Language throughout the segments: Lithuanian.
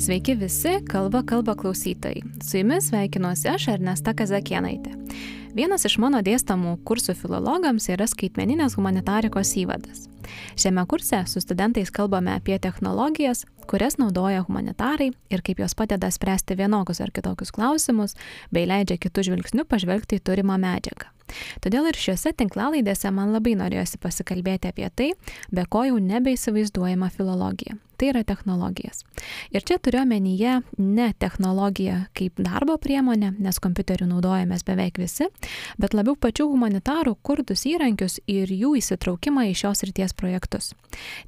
Sveiki visi kalba klausytojai. Su jumis sveikinuosi aš, Ernesta Kazakienaitė. Vienas iš mano dėstamų kursų filologams yra skaitmeninės humanitarikos įvadas. Šiame kurse su studentais kalbame apie technologijas, kurias naudoja humanitarai ir kaip jos padeda spręsti vienokius ar kitokius klausimus, bei leidžia kitų žvilgsnių pažvelgti į turimą medžiagą. Todėl ir šiuose tinklalaidėse man labai norėjosi pasikalbėti apie tai, be ko jau nebeįsivaizduojama filologija. Tai yra technologijas. Ir čia turiu omenyje ne technologiją kaip darbo priemonę, nes kompiuterių naudojamės beveik visi, bet labiau pačių humanitarų kurtus įrankius ir jų įsitraukimą į šios ryties projektus.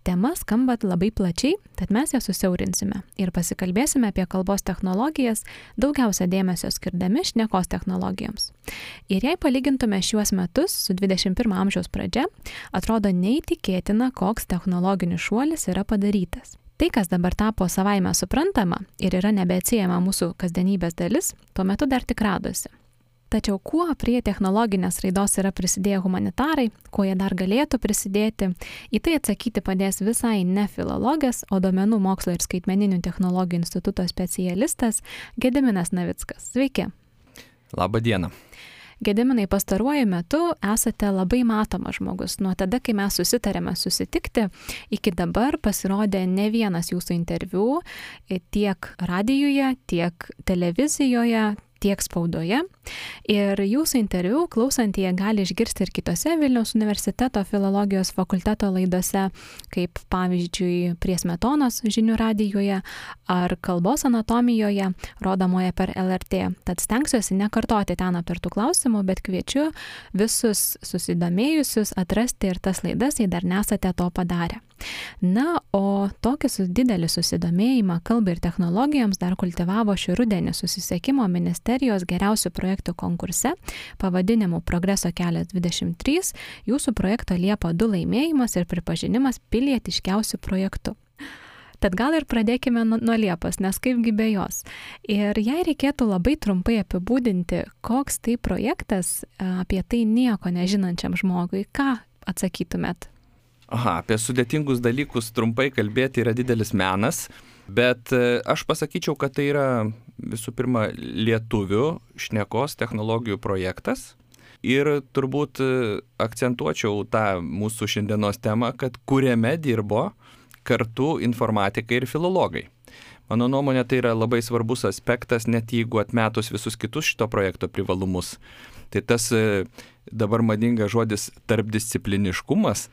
Tema skamba labai plačiai, tad mes ją susiaurinsime ir pasikalbėsime apie kalbos technologijas, daugiausia dėmesio skirdami šnekos technologijoms. Ir jei palygintume šiuos metus su 21 amžiaus pradžia, atrodo neįtikėtina, koks technologinis šuolis yra padarytas. Tai, kas dabar tapo savaime suprantama ir yra nebeatsiejama mūsų kasdienybės dalis, tuo metu dar tik radosi. Tačiau kuo prie technologinės raidos yra prisidėję humanitarai, kuo jie dar galėtų prisidėti, į tai atsakyti padės visai ne filologas, o Duomenų mokslo ir skaitmeninių technologijų instituto specialistas Gediminas Navickas. Sveiki. Labą dieną. Gediminai, pastaruoju metu esate labai matomas žmogus. Nuo tada, kai mes susitarėme susitikti, iki dabar pasirodė ne vienas jūsų interviu tiek radijuje, tiek televizijoje, tiek spaudoje. Ir jūsų interviu klausantieji gali išgirsti ir kitose Vilniaus universiteto filologijos fakulteto laidose, kaip pavyzdžiui prie Smetonos žinių radijuje ar kalbos anatomijoje, rodomoje per LRT. Tad stengsiuosi nekartoti ten aptartų klausimų, bet kviečiu visus susidomėjusius atrasti ir tas laidas, jei dar nesate to padarę. Na, o tokį didelį susidomėjimą kalbai ir technologijoms dar kultivavo šį rudenį Susisiekimo ministerijos geriausių projektų konkurse pavadinimu Progreso kelias 23, jūsų projekto Liepa 2 laimėjimas ir pripažinimas pilietiškiausių projektų. Tad gal ir pradėkime nuo Liepos, nes kaipgi be jos. Ir jei reikėtų labai trumpai apibūdinti, koks tai projektas apie tai nieko nežinančiam žmogui, ką atsakytumėt? Apie sudėtingus dalykus trumpai kalbėti yra didelis menas, bet aš pasakyčiau, kad tai yra visų pirma lietuvių šnekos technologijų projektas ir turbūt akcentuočiau tą mūsų šiandienos temą, kad kuriame dirbo kartu informatikai ir filologai. Mano nuomonė, tai yra labai svarbus aspektas, net jeigu atmetus visus kitus šito projekto privalumus. Tai tas dabar madingas žodis tarpdiscipliniškumas,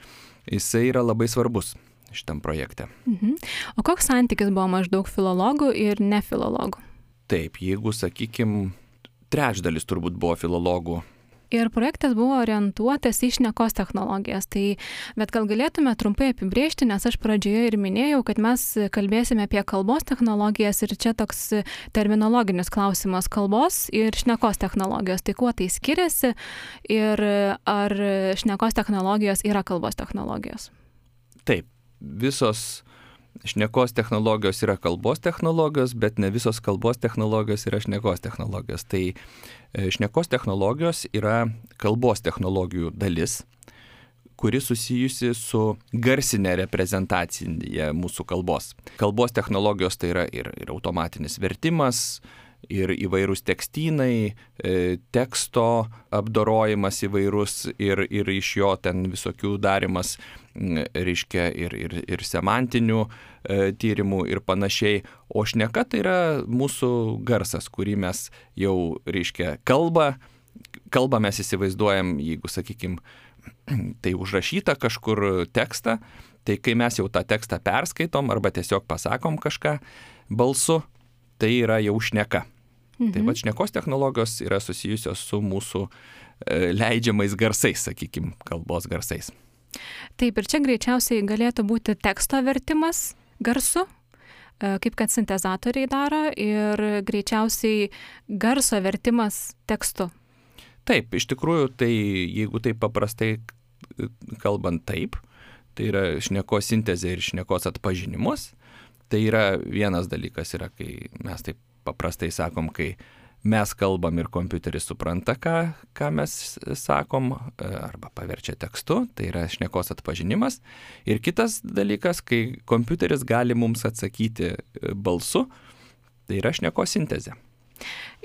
jisai yra labai svarbus šitam projekte. O koks santykis buvo maždaug filologų ir nefilologų? Taip, jeigu, sakykime, trečdalis turbūt buvo filologų. Ir projektas buvo orientuotas į šnekos technologijas. Bet gal galėtume trumpai apibrėžti, nes aš pradžioje ir minėjau, kad mes kalbėsime apie kalbos technologijas ir čia toks terminologinis klausimas kalbos ir šnekos technologijos. Tai kuo tai skiriasi ir ar šnekos technologijos yra kalbos technologijos? Taip, visos šnekos technologijos yra kalbos technologijos, bet ne visos kalbos technologijos yra šnekos technologijos. Tai šnekos technologijos yra kalbos technologijų dalis, kuri susijusi su garsinė reprezentacija mūsų kalbos. Kalbos technologijos tai yra ir automatinis vertimas, ir įvairūs tekstynai, teksto apdorojimas įvairūs ir iš jo ten visokių darimas, reiškia ir semantinių tyrimų ir panašiai. O šneka tai yra mūsų garsas, kurį mes jau, reiškia, kalbą mes įsivaizduojam, jeigu, sakykime, tai užrašyta kažkur tekstą, tai kai mes jau tą tekstą perskaitom arba tiesiog pasakom kažką balsu, tai yra jau šneka. Tai va, šnekos technologijos yra susijusios su mūsų leidžiamais garsais, sakykime, kalbos garsais. Taip, ir čia greičiausiai galėtų būti teksto vertimas garsu, kaip kad sintezatoriai daro, ir greičiausiai garso vertimas tekstu. Taip, iš tikrųjų, tai jeigu taip paprastai kalbant taip, tai yra šnekos sintezė ir šnekos atpažinimas, tai yra vienas dalykas, yra, kai mes taip paprastai sakom, kai mes kalbam ir kompiuteris supranta, ką mes sakom, arba paverčia tekstu, tai yra šnekos atpažinimas. Ir kitas dalykas, kai kompiuteris gali mums atsakyti balsu, Tai yra šnekos sintezė.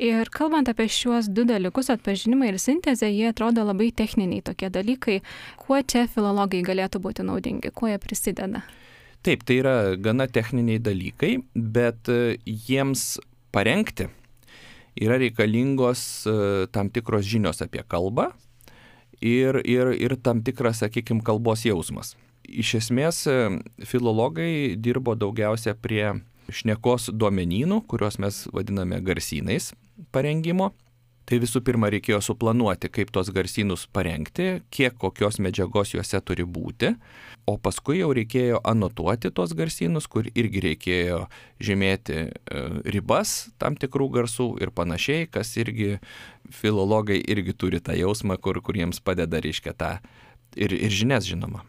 Ir kalbant apie šiuos du dalykus, atpažinimą ir sintezę, jie atrodo labai techniniai tokie dalykai. Kuo čia filologai galėtų būti naudingi, kuo jie prisideda? Taip, tai yra gana techniniai dalykai, bet jiems parengti yra reikalingos tam tikros žinios apie kalbą ir tam tikras, sakykime, kalbos jausmas. Iš esmės, filologai dirbo daugiausia prie šnekos duomenynų, kuriuos mes vadiname garsynais parengimo. Tai visų pirma reikėjo suplanuoti, kaip tos garsynus parengti, kiek kokios medžiagos juose turi būti, o paskui jau reikėjo anotuoti tos garsynus, kur irgi reikėjo žymėti ribas tam tikrų garsų ir panašiai, kas irgi filologai irgi turi tą jausmą, kur jiems padeda, reiškia, tą ir žinias, žinoma.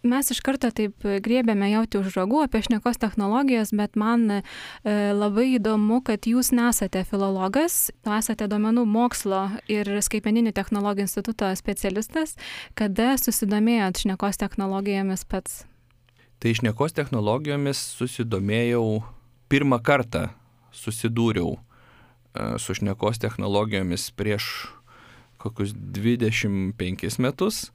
Mes iš karto taip griebėme jauti už ragų apie šnekos technologijas, bet man labai įdomu, kad jūs nesate filologas, esate duomenų mokslo ir skaitmeninių technologijų instituto specialistas. Kada susidomėjot šnekos technologijomis pats? Tai šnekos technologijomis susidomėjau pirmą kartą, susidūriau su šnekos technologijomis prieš kokius 25 metus.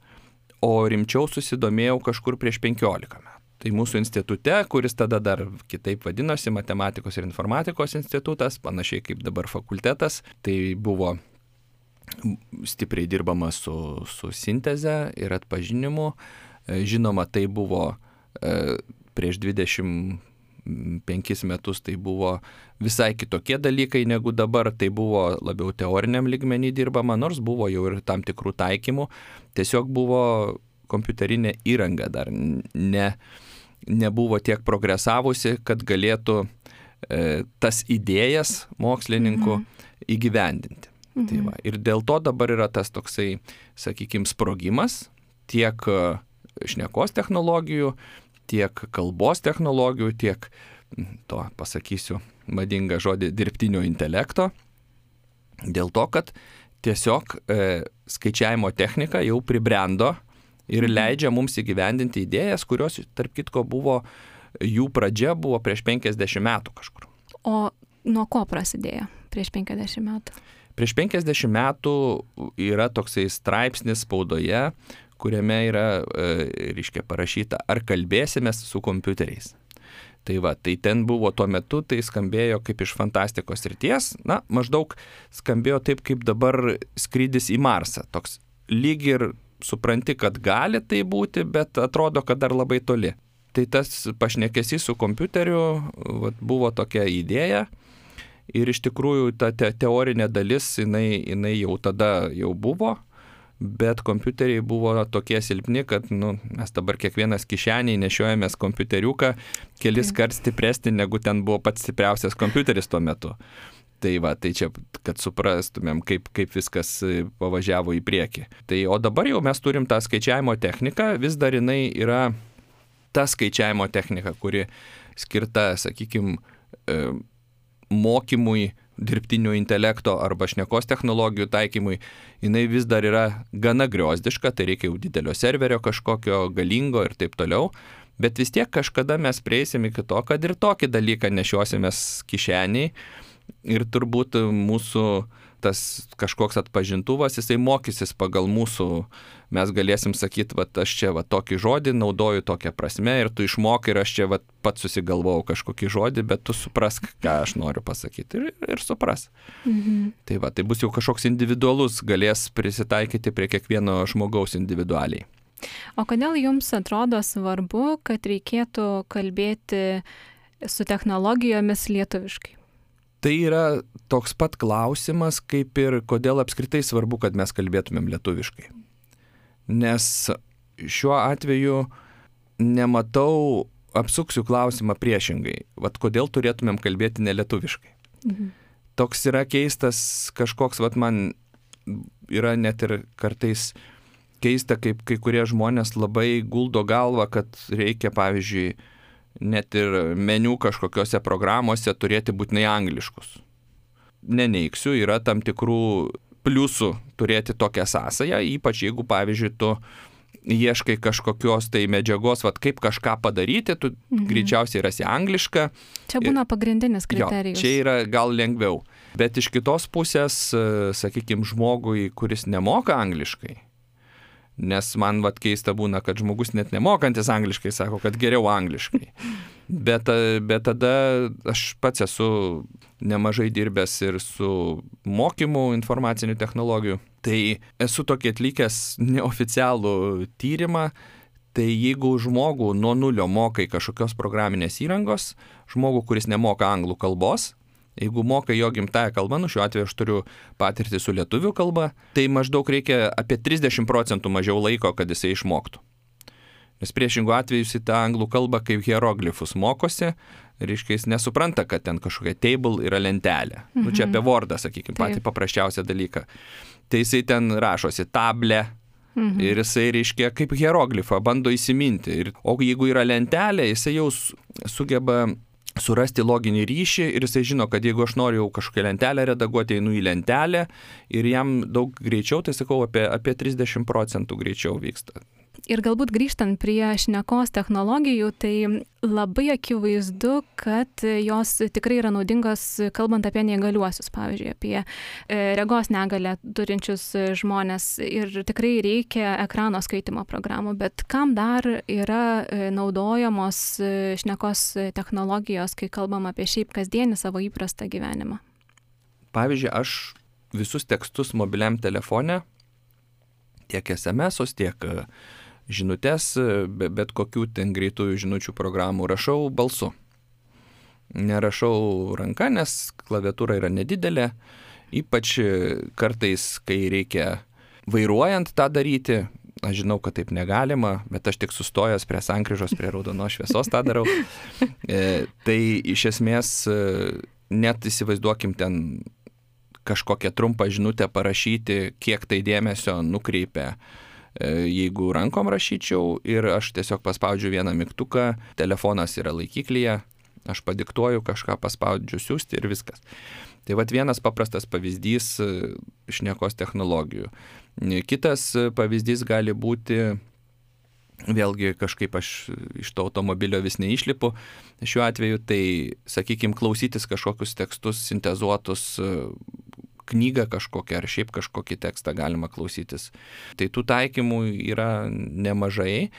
O rimčiau susidomėjau kažkur prieš 15 metų. Tai mūsų institute, kuris tada dar kitaip vadinosi Matematikos ir informatikos institutas, panašiai kaip dabar fakultetas, tai buvo stipriai dirbama su sinteze ir atpažinimu. Žinoma, tai buvo prieš 25 metus, tai buvo visai kitokie dalykai negu dabar, tai buvo labiau teoriniam lygmenį dirbama, nors buvo jau ir tam tikrų taikymų. Tiesiog buvo kompiuterinė įranga dar nebuvo tiek progresavusi, kad galėtų tas idėjas mokslininkų įgyvendinti. Tai va. Ir dėl to dabar yra tas toksai, sakykime, sprogimas tiek šnekos technologijų, tiek kalbos technologijų, tiek, to pasakysiu madingą žodį, dirbtinio intelekto, dėl to, kad tiesiog skaičiavimo technika jau pribrendo ir leidžia mums įgyvendinti idėjas, kurios, tarp kitko, jų pradžia buvo prieš 50 metų kažkur. O nuo ko prasidėjo prieš 50 metų? Prieš 50 metų yra toksai straipsnis spaudoje, kuriame yra, reiškia, parašyta, ar kalbėsimės su kompiuteriais. Tai va, tai ten buvo tuo metu, tai skambėjo kaip iš fantastikos srities, maždaug skambėjo taip, kaip dabar skrydis į Marsą. Toks lyg ir supranti, kad gali tai būti, bet atrodo, kad dar labai toli. Tai tas pašnekesys su kompiuteriu buvo tokia idėja ir iš tikrųjų ta teorinė dalis, jinai jau tada jau buvo, bet kompiuteriai buvo tokie silpni, kad mes dabar kiekvienas kišeniai nešiojamės kompiuteriuką kelis kart stipresnį, negu ten buvo pats stipriausias kompiuteris tuo metu. Tai va, tai čia, kad suprastumėm, kaip viskas pavažiavo į priekį. Tai, o dabar jau mes turim tą skaičiavimo techniką, vis dar jinai yra ta skaičiavimo technika, kuri skirta, sakykime, mokymui dirbtinio intelekto arba šnekos technologijų taikymui, jinai vis dar yra gana griozdiška, tai reikia jau didelio serverio kažkokio galingo ir taip toliau, bet vis tiek kažkada mes prieisim iki to, kad ir tokį dalyką nešiosimės kišeniai ir turbūt mūsų tas kažkoks atpažintuvas, jisai mokysis pagal mūsų, mes galėsim sakyti, aš čia tokį žodį naudoju tokią prasme ir tu išmokai ir aš čia pats susigalvojau kažkokį žodį, bet tu suprask, ką aš noriu pasakyti ir supras. Tai va, tai bus jau kažkoks individualus, galės prisitaikyti prie kiekvieno žmogaus individualiai. O kodėl jums atrodo svarbu, kad reikėtų kalbėti su technologijomis lietuviškai? Tai yra toks pat klausimas, kaip ir kodėl apskritai svarbu, kad mes kalbėtumėm lietuviškai. Nes šiuo atveju nematau, apsuksiu klausimą priešingai. Kodėl turėtumėm kalbėti nelietuviškai? Toks yra keistas kažkoks, man yra net ir kartais keista, kaip kai kurie žmonės labai guldo galvą, kad reikia, pavyzdžiui, net ir meniu kažkokiose programuose turėti būtinai angliškus. Neneigsiu, yra tam tikrų pliusų turėti tokią sąsają, ypač jeigu, pavyzdžiui, tu ieškai kažkokios tai medžiagos, kaip kažką padaryti, tu greičiausiai rasi anglišką. Čia būna pagrindinis kriterijus. Jo, čia yra gal lengviau. Bet iš kitos pusės, sakykime, žmogui, kuris nemoka angliškai, nes man keista būna, kad žmogus net nemokantis angliškai sako, kad geriau angliškai. Bet tada aš pats esu nemažai dirbęs ir su mokymu informacinių technologijų. Tai esu tokį atlikęs neoficialų tyrimą, tai jeigu žmogų nuo nulio mokai kažkokios programinės įrangos, žmogų, kuris nemoka anglų kalbos, jeigu moka jo gimtąją kalbą, šiuo atveju aš turiu patirtį su lietuvių kalba, tai maždaug reikia apie 30% mažiau laiko, kad jisai išmoktų. Nes priešingų atveju jis į tą anglų kalbą kaip hieroglifus mokosi, reiškia jis nesupranta, kad ten kažkokia table yra lentelė. Čia apie Wordą, sakykime, patį paprasčiausią dalyką. Tai jisai ten rašosi table ir jisai, reiškia, kaip hieroglifą bando įsiminti. O jeigu yra lentelė, jisai jau sugeba surasti loginį ryšį ir jisai žino, kad jeigu aš noriu kažkokią lentelę redaguoti, einu į lentelę ir jam daug greičiau, tai sakau, apie 30% greičiau vyksta. Ir galbūt grįžtant prie šnekos technologijų, tai labai akivaizdu, kad jos tikrai yra naudingos, kalbant apie neįgaliuosius, pavyzdžiui, apie regos negalę turinčius žmonės ir tikrai reikia ekrano skaitimo programų, bet kam dar yra naudojamos šnekos technologijos, kai kalbam apie šiaip kasdienį savo įprastą gyvenimą? Pavyzdžiui, aš visus tekstus mobiliam telefone, tiek SMS-us, tiek žinutės, bet kokių ten greitųjų žinučių programų rašau balsu. Nerašau ranka, nes klaviatūra yra nedidelė, ypač kartais, kai reikia vairuojant tą daryti, aš žinau, kad taip negalima, bet aš tik sustojęs prie sankryžos, prie raudonos šviesos tą darau. Tai iš esmės net įsivaizduokim ten kažkokią trumpą žinutę parašyti, kiek tai dėmesio nukreipia. Jeigu rankom rašyčiau ir aš tiesiog paspaudžiu vieną mygtuką, telefonas yra laikiklyje, aš padiktuoju kažką, paspaudžiu siųsti ir viskas. Tai vienas paprastas pavyzdys šnekos technologijų. Kitas pavyzdys gali būti, vėlgi kažkaip aš iš to automobilio vis neišlipu, šiuo atveju tai, sakykime, klausytis kažkokius tekstus sintezuotus, knygą kažkokią ar šiaip kažkokį tekstą galima klausytis. Tai tų taikymų yra nemažai.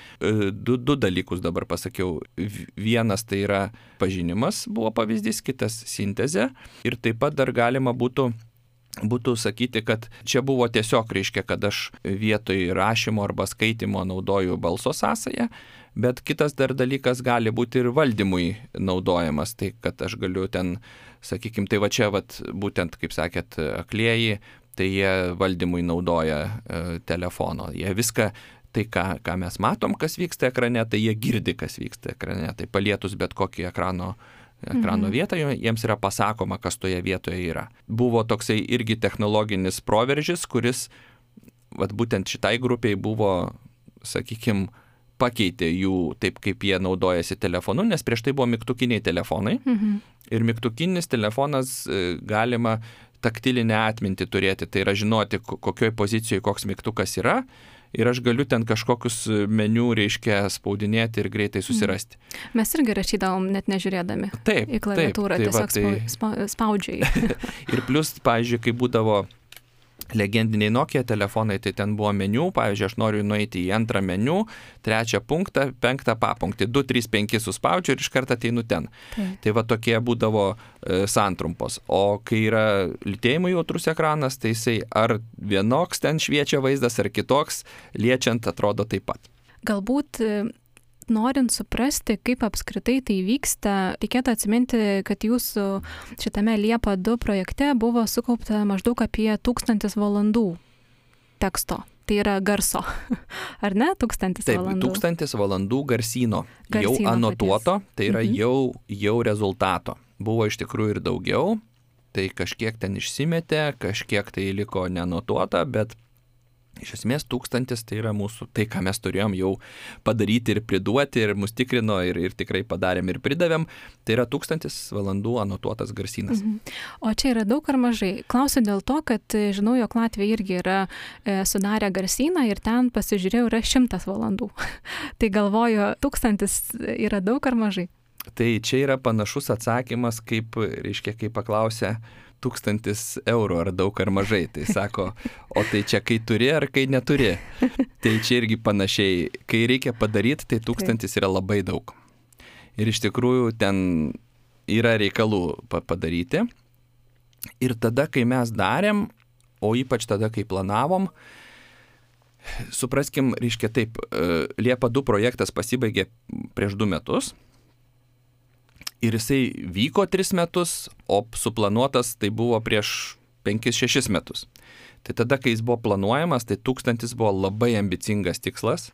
Du dalykus dabar pasakiau. Vienas tai yra pažinimas, buvo pavyzdys, kitas sintezė. Ir taip pat dar galima būtų sakyti, kad čia buvo tiesiog, reiškia, kad aš vietoj rašymo arba skaitimo naudoju balso sąsają, bet kitas dar dalykas gali būti ir valdymui naudojamas, tai kad aš galiu ten, sakykime, tai čia būtent, kaip sakėt, aklieji, tai jie valdymui naudoja telefono. Jie viską, tai ką mes matom, kas vyksta ekrane, tai jie girdi, kas vyksta ekrane. Tai palietus bet kokį ekrano vietą, jiems yra pasakoma, kas toje vietoje yra. Buvo toksai irgi technologinis proveržis, kuris būtent šitai grupiai buvo, sakykime, pakeitė jų taip, kaip jie naudojasi telefonu, nes prieš tai buvo mygtukiniai telefonai. Ir mygtukinis telefonas galima taktilinę atmintį turėti, tai yra žinoti, kokioj pozicijoje koks mygtukas yra. Ir aš galiu ten kažkokius meniu, reiškia, spaudinėti ir greitai susirasti. Mes irgi rašydavom net nežiūrėdami į klaviatūrą, tiesiog spaudžiai. Ir plus, pavyzdžiui, kai būdavo legendiniai Nokia telefonai, tai ten buvo meniu, pavyzdžiui, aš noriu nueiti į antrą meniu, 3 punktą, 5 papunktį, 2, 3, 5 suspaudžiu ir iš karto ateinu ten. Tai tokie būdavo santrumpos. O kai yra lytėjimui jautrus ekranas, tai jisai ar vienoks ten šviečia vaizdas, ar kitoks, liečiant atrodo taip pat. Galbūt norint suprasti, kaip apskritai tai vyksta, reikėtų atsiminti, kad jūsų šitame Liepa 2 projekte buvo sukaupta maždaug apie 1000 valandų teksto. Tai yra garso, ar ne? 1000 valandų. Taip, 1000 valandų garsyno jau anotuoto, tai yra jau rezultato. Buvo iš tikrųjų ir daugiau, tai kažkiek ten išsimetė, kažkiek tai liko neanotuota, bet Iš esmės 1000 tai yra mūsų, tai ką mes turėjom jau padaryti ir priduoti ir mus tikrino ir tikrai padarėm ir pridavėm, tai yra 1000 valandų anotuotas garsynas. O čia yra daug ar mažai? Klausiu dėl to, kad žinau, jog Latvija irgi yra sudarę garsyną ir ten pasižiūrėjau yra 100 valandų. Tai galvoju, 1000 yra daug ar mažai? Tai čia yra panašus atsakymas, kaip, reiškia, kai paklausė 1000 eurų ar daug ar mažai. Tai sako, o tai čia kai turi ar kai neturi. Tai čia irgi panašiai, kai reikia padaryti, tai 1000 yra labai daug. Ir iš tikrųjų ten yra reikalų padaryti. Ir tada, kai mes darėm, o ypač tada, kai planavom, supraskim, reiškia taip, Liepa 2 projektas pasibaigė prieš 2 metus. Ir jisai vyko 3 metus, o suplanuotas tai buvo prieš 5-6 metus. Tai tada, kai jis buvo planuojamas, tai 1000 buvo labai ambicingas tikslas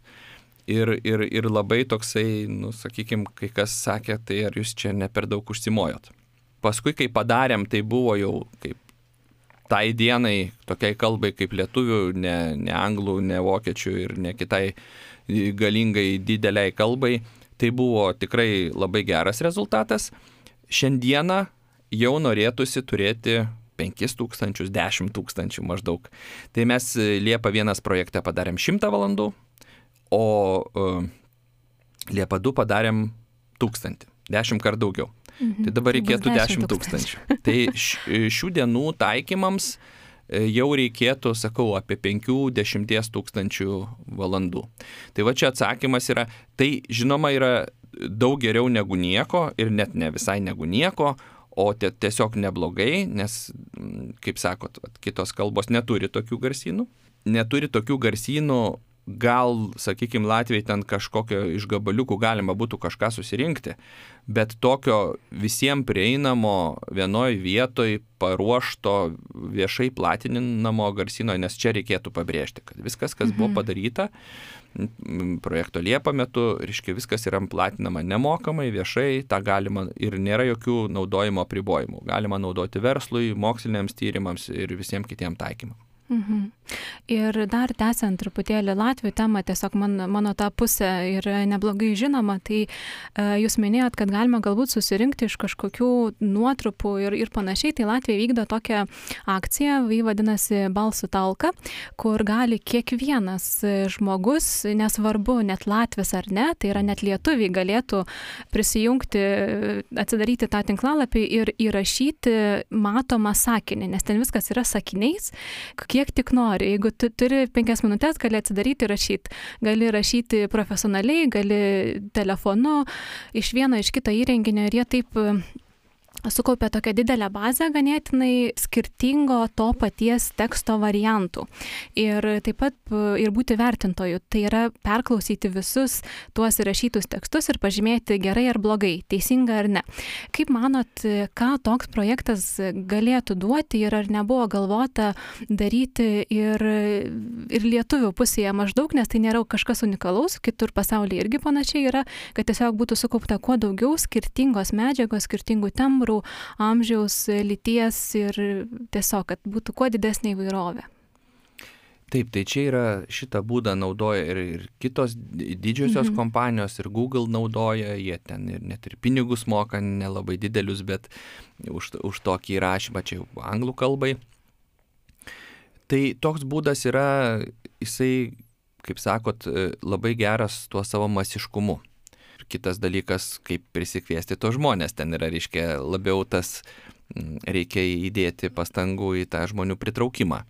ir labai toksai, sakykime, kai kas sakė, tai ar jūs čia ne per daug užsimojot. Paskui, kai padarėm, tai buvo jau kaip tai dienai, tokiai kalbai kaip lietuvių, ne anglų, ne vokiečių ir ne kitai galingai dideliai kalbai, tai buvo tikrai labai geras rezultatas. Šiandieną jau norėtųsi turėti 5000, 10 000 maždaug. Tai mes Liepa 1 projekte padarėm 100 valandų, o Liepa 2 padarėm 1000, 10 kart daugiau. Tai dabar reikėtų 10 000. Tai šių dienų taikymams jau reikėtų, sakau, apie 5-10 000 valandų. Tai va čia atsakymas yra, tai žinoma yra daug geriau negu nieko ir net ne visai negu nieko, o tiesiog neblogai, nes, kaip sakot, kitos kalbos neturi tokių garsynų. Neturi tokių garsynų, gal, sakykime, Latvijai ten kažkokio iš gabaliukų galima būtų kažką susirinkti, bet tokio visiems prieinamo vienoj vietoj paruošto viešai platinamo garsyno, nes čia reikėtų pabrėžti, kad viskas, kas buvo padaryta projekto Liepa metu, reiškia, viskas yra platinama nemokamai, viešai, tą galima ir nėra jokių naudojimo apribojimų. Galima naudoti verslui, moksliniams tyrimams ir visiems kitiems taikymams. Ir dar tęsiant truputėlį Latvių temą, tiesiog mano ta pusė yra neblogai žinoma, tai jūs minėjot, kad galima galbūt susirinkti iš kažkokių nuotrupų ir panašiai, tai Latvija vykdo tokią akciją, ji vadinasi Balsų talka, kur gali kiekvienas žmogus, nesvarbu net latvis ar ne, tai yra net lietuviai galėtų prisijungti, atsidaryti tą tinklalapį ir įrašyti matomą sakinį, nes ten viskas yra sakiniais, kiek tik nori. Jeigu tu turi 5 minutės, gali atsidaryti ir rašyti. Gali rašyti profesionaliai, gali telefonu, iš vieno, iš kito įrenginio ir jie taip sukaupė tokią didelę bazę ganėtinai skirtingo to paties teksto variantų. Ir taip pat ir būti vertintoju. Tai yra perklausyti visus tuos įrašytus tekstus ir pažymėti gerai ar blogai, teisinga ar ne. Kaip manot, ką toks projektas galėtų duoti ir ar nebuvo galvota daryti ir lietuvių pusėje maždaug, nes tai nėra kažkas unikalaus, kitur pasaulyje irgi panašiai yra, kad tiesiog būtų sukaupta kuo daugiau skirtingos medžiagos, skirtingų tembrų, amžiaus, lyties ir tiesiog, kad būtų kuo didesnė įvairovė. Taip, tai čia yra šitą būdą naudoja ir kitos didžiosios kompanijos, ir Google naudoja, jie ten ir net ir pinigus moka, nelabai didelius, bet už tokį įrašymą čia jau anglų kalbai. Tai toks būdas yra, jisai, kaip sakot, labai geras tuo savo masiškumu. Kitas dalykas, kaip prisikviesti to žmonės, ten yra, reiškia, labiau tas reikia įdėti pastangų į tą žmonių pritraukimą.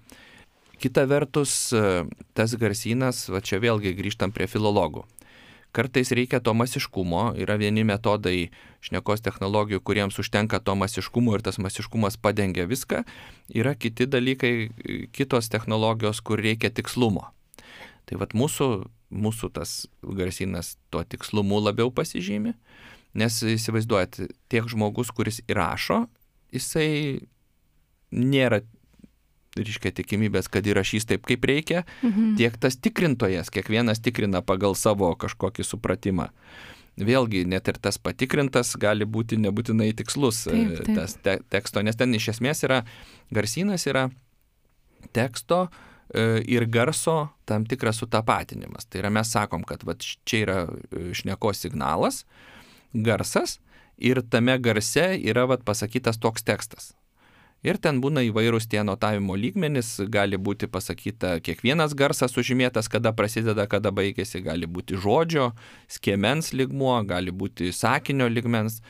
Kita vertus, tas garsynas, va čia vėlgi grįžtam prie filologų. Kartais reikia to masiškumo, yra vieni metodai šnekos technologijų, kuriems užtenka to masiškumo ir tas masiškumas padengia viską, yra kiti dalykai, kitos technologijos, kur reikia tikslumo. Tai vat mūsų tas garsynas tuo tikslumu labiau pasižymi, nes įsivaizduojat, tiek žmogus, kuris įrašo, jisai nėra, reiškia, tikimybės, kad įrašys taip, kaip reikia, tiek tas tikrintojas, kiekvienas tikrina pagal savo kažkokį supratimą. Vėlgi, net ir tas patikrintas gali būti nebūtinai tikslus tas teksto, nes ten iš esmės yra, garsynas yra teksto ir garso tam tikras sutapatinimas. Tai yra mes sakom, kad va, čia yra šnekos signalas, garsas ir tame garse yra va, pasakytas toks tekstas. Ir ten būna įvairūs tie notavimo lygmenys, gali būti pasakyta kiekvienas garsas sužymėtas, kada prasideda, kada baigėsi, gali būti žodžio, skiemens lygmuo, gali būti sakinio lygmens.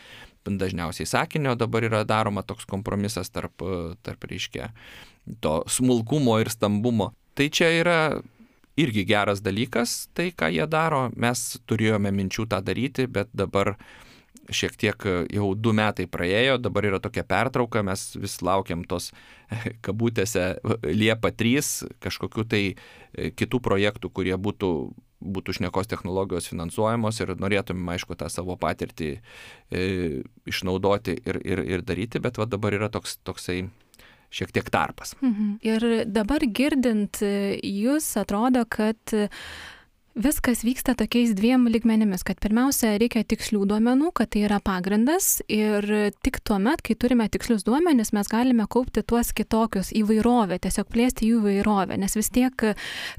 Dažniausiai sakinio dabar yra daroma toks kompromisas tarp reiškia, to smulkumo ir stambumo. Tai čia yra irgi geras dalykas, tai ką jie daro. Mes turėjome minčių tą daryti, bet dabar šiek tiek jau 2 metai praėjo, dabar yra tokia pertrauka, mes vis laukiam tos kabutėse Liepa 3 kažkokių tai kitų projektų, kurie būtų šnekos technologijos finansuojamos ir norėtumėm, aišku, tą savo patirtį išnaudoti ir daryti, bet va dabar yra toksai šiek tiek tarpas. Ir dabar girdint jūs atrodo, kad viskas vyksta tokiais 2 lygmenimis, kad pirmiausia reikia tikslių duomenų, kad tai yra pagrindas ir tik tuomet, kai turime tikslius duomenis, mes galime kaupti tuos kitokius įvairovę, tiesiog plėsti jų įvairovę, nes vis tiek,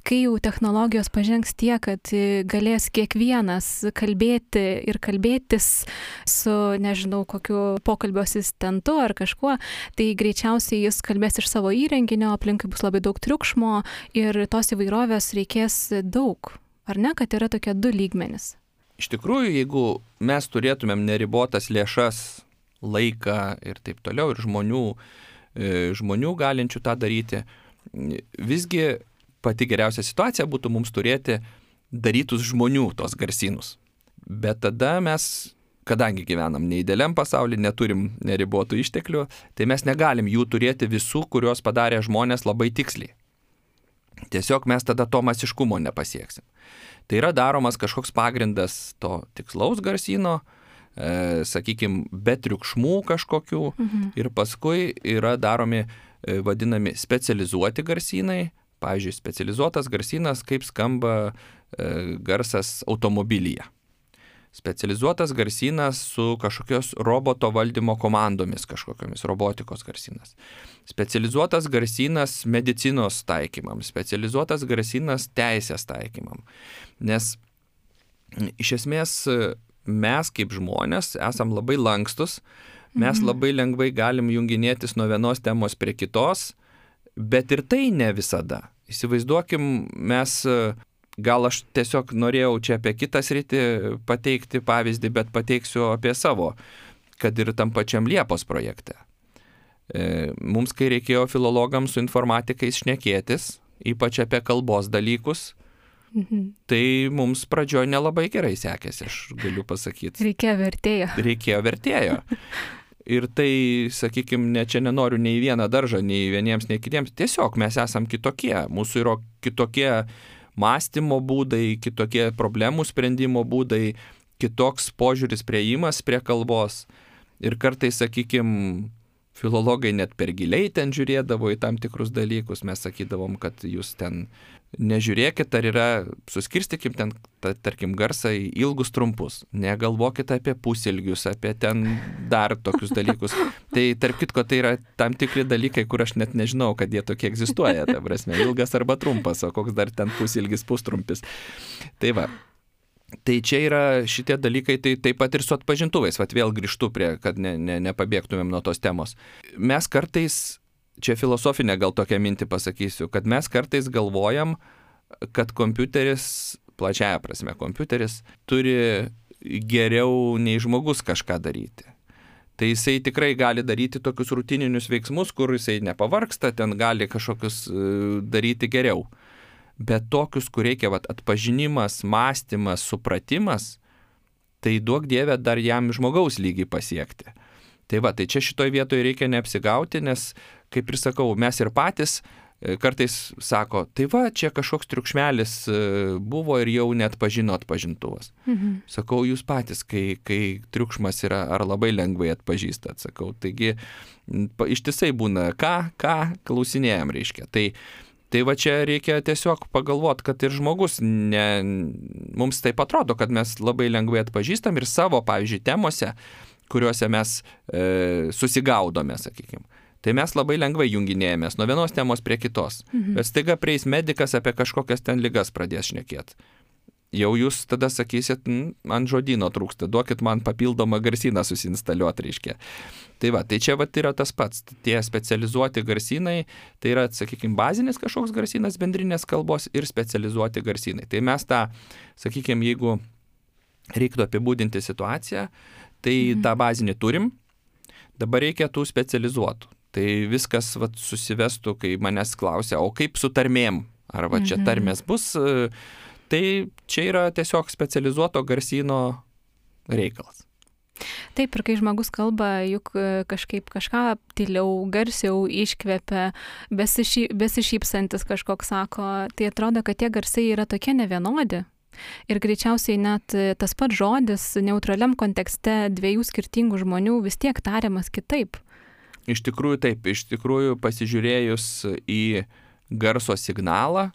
kai jau technologijos pažengs tiek, kad galės kiekvienas kalbėti ir kalbėtis su, nežinau, kokiu pokalbio asistentu ar kažkuo, tai greičiausiai jis kalbės iš savo įrenginio, aplinkai bus labai daug triukšmo ir tos įvairovės reikės daug. Ar ne, kad yra tokie 2 lygmenys? Iš tikrųjų, jeigu mes turėtumėm neribotas lėšas, laiką ir taip toliau, ir žmonių galinčių tą daryti, visgi pati geriausia situacija būtų mums turėti darytus žmonių tos garsynus. Bet tada mes, kadangi gyvenam neįdėliam pasaulyje, neturim neribotų išteklių, tai mes negalim jų turėti visų, kuriuos padarė žmonės labai tiksliai. Tiesiog mes tada to masiškumo nepasieksim. Tai yra daromas kažkoks pagrindas to tikslaus garsyno, sakykime, be triukšmų kažkokių ir paskui yra daromi vadinami specializuoti garsynai. Pavyzdžiui, specializuotas garsynas, kaip skamba garsas automobilyje. Specializuotas garsynas su kažkokios roboto valdymo komandomis, kažkokiamis robotikos garsynas. Specializuotas garsynas medicinos taikymam, specializuotas garsynas teisės taikymam. Nes iš esmės mes kaip žmonės esam labai lankstus, mes labai lengvai galim junginėtis nuo vienos temos prie kitos, bet ir tai ne visada. Įsivaizduokim, mes... Gal aš tiesiog norėjau čia apie kitą sritį pateikti pavyzdį, bet pateiksiu apie savo, kad ir tam pačiam Liepos projekte. Mums, kai reikėjo filologams su informatikais šnekėtis, ypač apie kalbos dalykus, tai mums pradžioje nelabai gerai sekėsi, aš galiu pasakyti. Reikėjo vertėjo. Ir tai, sakykime, čia nenoriu nei vieną daržą, nei vieniems, nei kitiems. Tiesiog mes esam kitokie, mūsų yra kitokie mąstymo būdai, kitokie problemų sprendimo būdai, kitoks požiūris priėjimas prie kalbos. Ir kartais, sakykime, filologai net per giliai ten žiūrėdavo į tam tikrus dalykus. Mes sakydavom, kad jūs ten nežiūrėkit, ar yra, suskirstykim ten, tarkim, garsą į ilgus trumpus. Negalvokit apie pusilgius, apie ten dar tokius dalykus. Tai tarp kitko, tai yra tam tikri dalykai, kur aš net nežinau, kad jie tokie egzistuoja. Ta prasme, ilgas arba trumpas, o koks dar ten pusilgis, pustrumpis. Tai va. Tai čia yra šitie dalykai, tai taip pat ir su atpažintuvais. Vat vėl grįžtu prie, kad nepabėgtumėm nuo tos temos. Mes kartais, čia filosofinę gal tokią mintį pasakysiu, kad mes kartais galvojam, kad kompiuteris, plačiaja prasme kompiuteris, turi geriau nei žmogus kažką daryti. Tai jisai tikrai gali daryti tokius rutininius veiksmus, kur jisai nepavargsta, ten gali kažkokius daryti geriau. Bet tokius, kur reikia atpažinimas, mąstymas, supratimas, tai duok Dieve dar jam žmogaus lygį pasiekti. Tai va, tai čia šitoj vietoje reikia neapsigauti, nes, kaip ir sakau, mes ir patys kartais sako, tai va, čia kažkoks triukšmelis buvo ir jau net pažino atpažintuvas. Sakau, jūs patys, kai triukšmas yra, ar labai lengvai atpažįstat, sakau. Taigi, ištisai būna, ką klausinėjam, reiškia. Tai va čia reikia tiesiog pagalvoti, kad ir žmogus, mums taip atrodo, kad mes labai lengvai atpažįstam ir savo, pavyzdžiui, temose, kuriuose mes susigaudome, sakykime. Tai mes labai lengvai junginėjomės nuo vienos temos prie kitos. Bet staiga prieis medikas apie kažkokias ten ligas pradės šnekėti. Jau jūs tada sakysit, man žodyno trūksta, duokit man papildomą garsyną susinstaliuoti, reiškia. Tai va, tai čia va yra tas pats. Tie specializuoti garsynai, tai yra, sakykime, bazinis kažkoks garsynas bendrinės kalbos ir specializuoti garsynai. Tai mes tą, sakykime, jeigu reiktų apibūdinti situaciją, tai tą bazinį turim, dabar reikia tų specializuotų. Tai viskas va, susivestų, kai manęs klausia, o kaip su tarmėm? Ar va čia tarmės bus? Tai čia yra tiesiog specializuoto garsyno reikalas. Taip, ir kai žmogus kalba, juk kažkaip kažką tyliau, garsiau iškvepia, besišypsantis kažkoks sako, tai atrodo, kad tie garsai yra tokie nevienodi. Ir greičiausiai net tas pats žodis neutraliam kontekste dviejų skirtingų žmonių vis tiek tariamas kitaip. Iš tikrųjų taip, iš tikrųjų pasižiūrėjus į garso signalą,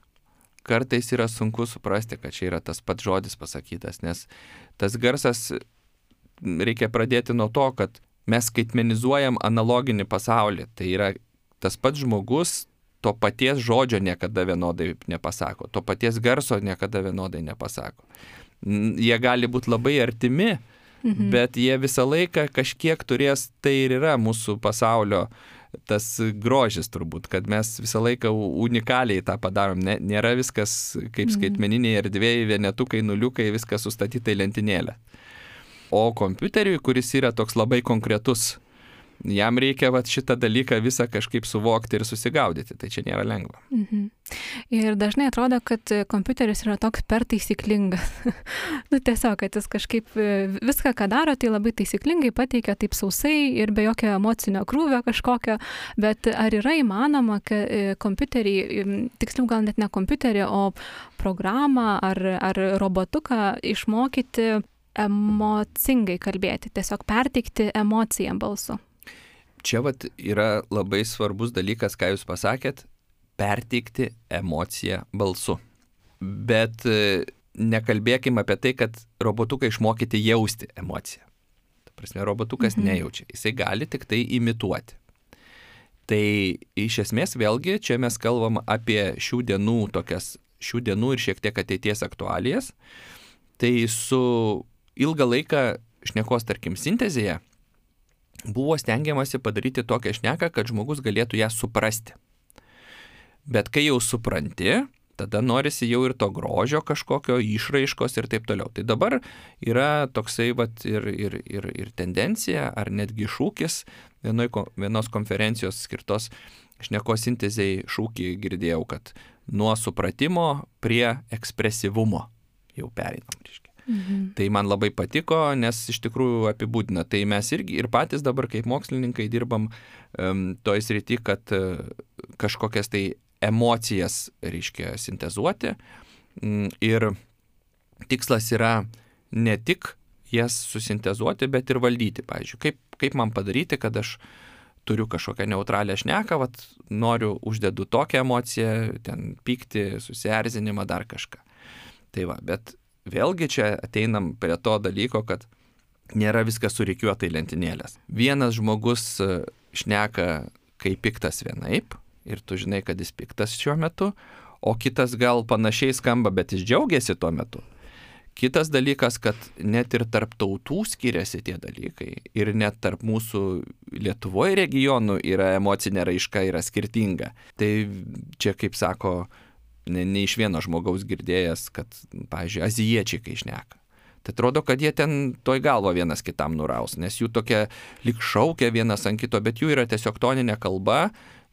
kartais yra sunku suprasti, kad čia yra tas pats žodis pasakytas, nes tas garsas reikia pradėti nuo to, kad mes skaitmenizuojam analoginį pasaulį. Tai yra tas pats žmogus to paties žodžio niekada vienodai nepasako, to paties garso niekada vienodai nepasako. Jie gali būti labai artimi, bet jie visą laiką kažkiek turės, tai ir yra mūsų pasaulio tas grožis turbūt, kad mes visą laiką unikaliai tą padarom. Nėra viskas kaip skaitmeniniai erdvėjai, vienetukai, nuliukai, viskas sustatyta į lentynėlę. O kompiuteriui, kuris yra toks labai konkretus, jam reikia šitą dalyką visą kažkaip suvokti ir susigaudyti, tai čia nėra lengva. Ir dažnai atrodo, kad kompiuteris yra toks per taisyklingas. Tiesiog, kad jis kažkaip viską, ką daro, tai labai taisyklingai pateikia taip sausai ir be jokio emocinio krūvio kažkokio, bet ar yra įmanoma, kad kompiuterį, tiksliau gal net ne kompiuterį, o programą ar robotuką išmokyti emocingai kalbėti, tiesiog perteikti emociją balsu? Čia vat yra labai svarbus dalykas, ką jūs pasakėt, perteikti emociją balsu. Bet nekalbėkime apie tai, kad robotuką išmokyti jausti emociją. Ta prasme, robotukas nejaučia, jisai gali tik tai imituoti. Tai iš esmės vėlgi čia mes kalbam apie šių dienų ir šiek tiek ateities aktualijas. Tai su ilgą laiką šnekos, tarkim, sintezėje buvo stengiamasi padaryti tokią šneką, kad žmogus galėtų ją suprasti. Bet kai jau supranti, tada norisi jau ir to grožio kažkokio išraiškos ir taip toliau. Tai dabar yra toksai ir tendencija, ar netgi šūkis, vienos konferencijos skirtos šnekos sintezei šūkį girdėjau, kad nuo supratimo prie ekspresyvumo jau pereinam, reiškia. Tai man labai patiko, nes iš tikrųjų apibūdina. Tai mes irgi ir patys dabar kaip mokslininkai dirbam toj srity, kad kažkokias tai emocijas, reiškia, sintezuoti. Ir tikslas yra ne tik jas susintezuoti, bet ir valdyti. Pavyzdžiui, kaip man padaryti, kad aš turiu kažkokią neutralią šneką, noriu, uždedu tokią emociją, ten pyktį, susierzinimą, dar kažką. Tai va, bet vėlgi čia ateinam prie to dalyko, kad nėra viskas surikiuota į lentynėlės. Vienas žmogus šneka, kai piktas vienaip, ir tu žinai, kad jis piktas šiuo metu, o kitas gal panašiai skamba, bet jis džiaugiasi tuo metu. Kitas dalykas, kad net ir tarp tautų skiriasi tie dalykai ir net tarp mūsų Lietuvoje regionų yra emocinė raiška, yra skirtinga. Tai čia, kaip sako, ne iš vieno žmogaus girdėjęs, kad, pavyzdžiui, azijiečiai kai šneka. Tai atrodo, kad jie ten toj galvo vienas kitam nuraus, nes jų tokia lyg šaukia vienas ant kito, bet jų yra tiesiog toninė kalba,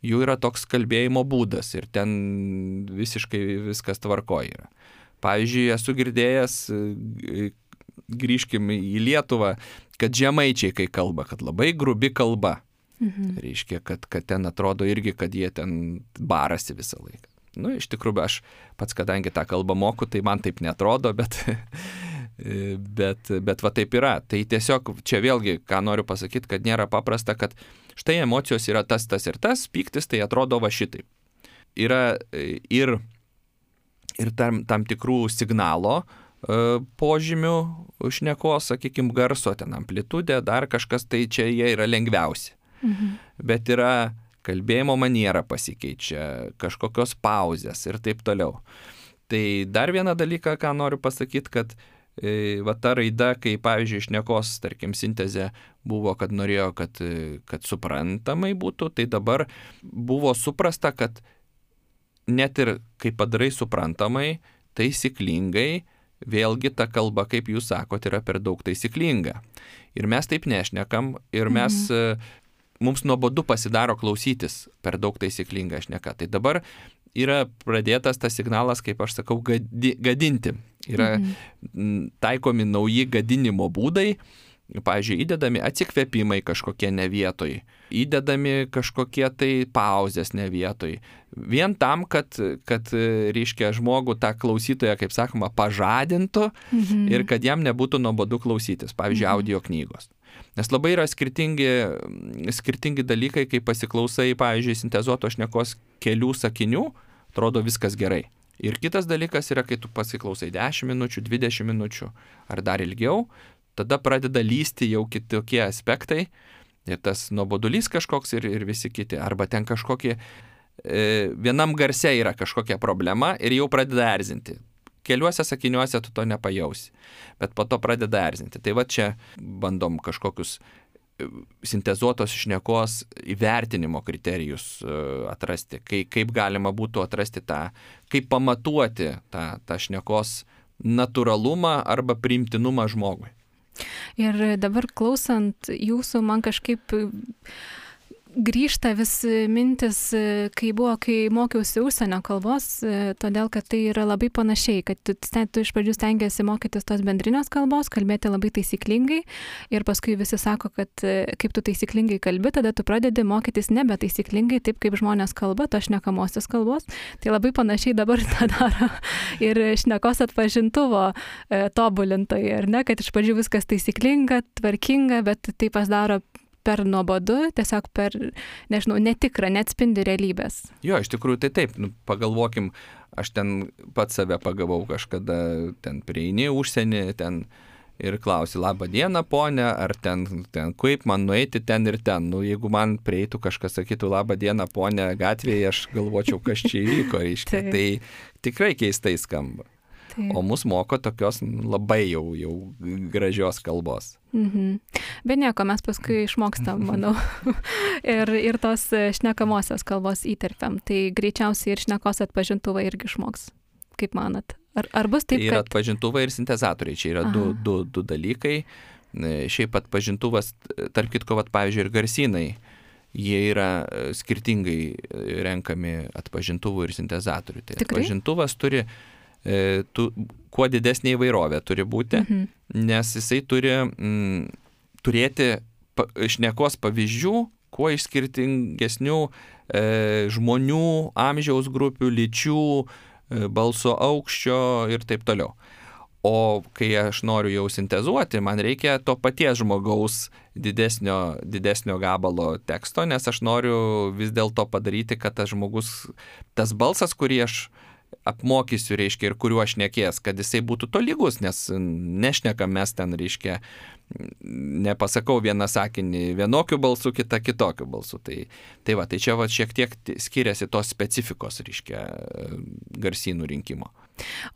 jų yra toks kalbėjimo būdas ir ten visiškai viskas tvarkoj yra. Pavyzdžiui, esu girdėjęs, grįžkim į Lietuvą, kad žemaičiai kai kalba, kad labai grubi kalba. Reiškia, kad ten atrodo irgi, kad jie ten barasi visą laiką. Nu, iš tikrųjų, aš pats, kadangi tą kalbą moku, tai man taip netrodo, bet va taip yra. Tai tiesiog čia vėlgi, ką noriu pasakyti, kad nėra paprasta, kad štai emocijos yra tas ir tas, pyktis tai atrodo va šitaip. Yra ir tam tikrų signalo požymių šnekos, sakykime, garso, ten amplitudė, dar kažkas, tai čia jie yra lengviausi. Bet yra kalbėjimo maniera pasikeičia, kažkokios pauzės ir taip toliau. Tai dar vieną dalyką, ką noriu pasakyti, kad va ta raida, kai pavyzdžiui šnekos, tarkim, sintezė buvo, kad norėjo, kad suprantamai būtų, tai dabar buvo suprasta, kad net ir kai padarai suprantamai, taisyklingai, vėlgi ta kalba, kaip jūs sakot, yra per daug taisyklinga. Ir mes taip nešnekam, ir mums nuobodu pasidaro klausytis per daug taisyklinga šneka. Tai dabar yra pradėtas tas signalas, kaip aš sakau, gadinti. Yra taikomi nauji gadinimo būdai, pavyzdžiui, įdedami atsikvėpimai kažkokie ne vietoj, įdedami kažkokie tai pauzės ne vietoj. Vien tam, kad reiškia, žmogų tą klausytoją, kaip sakoma, pažadintų ir kad jam nebūtų nuobodu klausytis, pavyzdžiui, audio knygos. Nes labai yra skirtingi dalykai, kai pasiklausai, pavyzdžiui, sintezuoto šnekos kelių sakinių, atrodo viskas gerai. Ir kitas dalykas yra, kai tu pasiklausai 10 minučių, 20 minučių ar dar ilgiau, tada pradeda lysti jau kitokie aspektai ir tas nuobodulys kažkoks ir visi kiti. Arba ten kažkokie, vienam garse yra kažkokia problema ir jau pradeda erzinti. Keliuose sakiniuose tu to nepajausi, bet po to pradeda erzinti. Tai va čia bandom kažkokius sintezuotos šnekos įvertinimo kriterijus atrasti, kaip galima būtų atrasti kaip pamatuoti tą šnekos natūralumą arba priimtinumą žmogui. Ir dabar klausant jūsų, man kažkaip grįžta vis mintis, kai mokiausi užsienio kalbos, todėl, kad tai yra labai panašiai, kad tu iš pradžių stengiasi mokytis tos bendrinės kalbos, kalbėti labai taisyklingai ir paskui visi sako, kad kaip tu taisyklingai kalbi, tada tu pradedi mokytis nebe taisyklingai, taip kaip žmonės kalba, to šnekamosios kalbos. Tai labai panašiai dabar tą daro ir šnekos atpažintuvo tobulintojai, ar ne, kad iš pradžių viskas taisyklinga, tvarkinga, bet tai pasidaro per nuobodu, tiesiog per, nežinau, netikrą, neatspindi realybės. Jo, iš tikrųjų tai taip, pagalvokim, aš ten pats save pagavau kažkada, ten prieini užsienį, ten ir klausi, labą dieną, ponė, ar ten kaip man nueiti ten ir ten. Jeigu man prieitų kažkas sakytų, labą dieną, ponė, gatvėje, aš galvočiau, kas čia įvyko, reiškia. Tai tikrai keistai skamba. O mus moko tokios labai jau gražios kalbos. Bet nieko, mes paskui išmokstam, manau. ir tos šnekamosios kalbos įterpiam. Tai greičiausiai ir šnekos atpažintuvai irgi išmoks. Kaip manat? Ar bus taip, kad... Ir atpažintuvai, ir sintezatoriai. Čia yra du dalykai. Šiaip atpažintuvas, tarp kitko, pavyzdžiui, ir garsynai. Jie yra skirtingai renkami atpažintuvų ir sintezatorių. Tai atpažintuvas turi... kuo didesnė įvairovė turi būti, nes jisai turi turėti šnekos pavyzdžių, kuo iš skirtingesnių žmonių, amžiaus grupių, lyčių, balso aukščio ir taip toliau. O kai aš noriu jau sintezuoti, man reikia to paties žmogaus didesnio gabalo teksto, nes aš noriu vis dėlto padaryti, kad tas žmogus, tas balsas, kurį aš apmokysiu, reiškia, ir kuriuo aš šnekės, kad jisai būtų tolygus, nes nešnekam mes ten, reiškia, nepasakau vieną sakinį vienokiu balsu, kitą kitokiu balsu. Tai čia šiek tiek skiriasi tos specifikos, reiškia, garsynų rinkimo.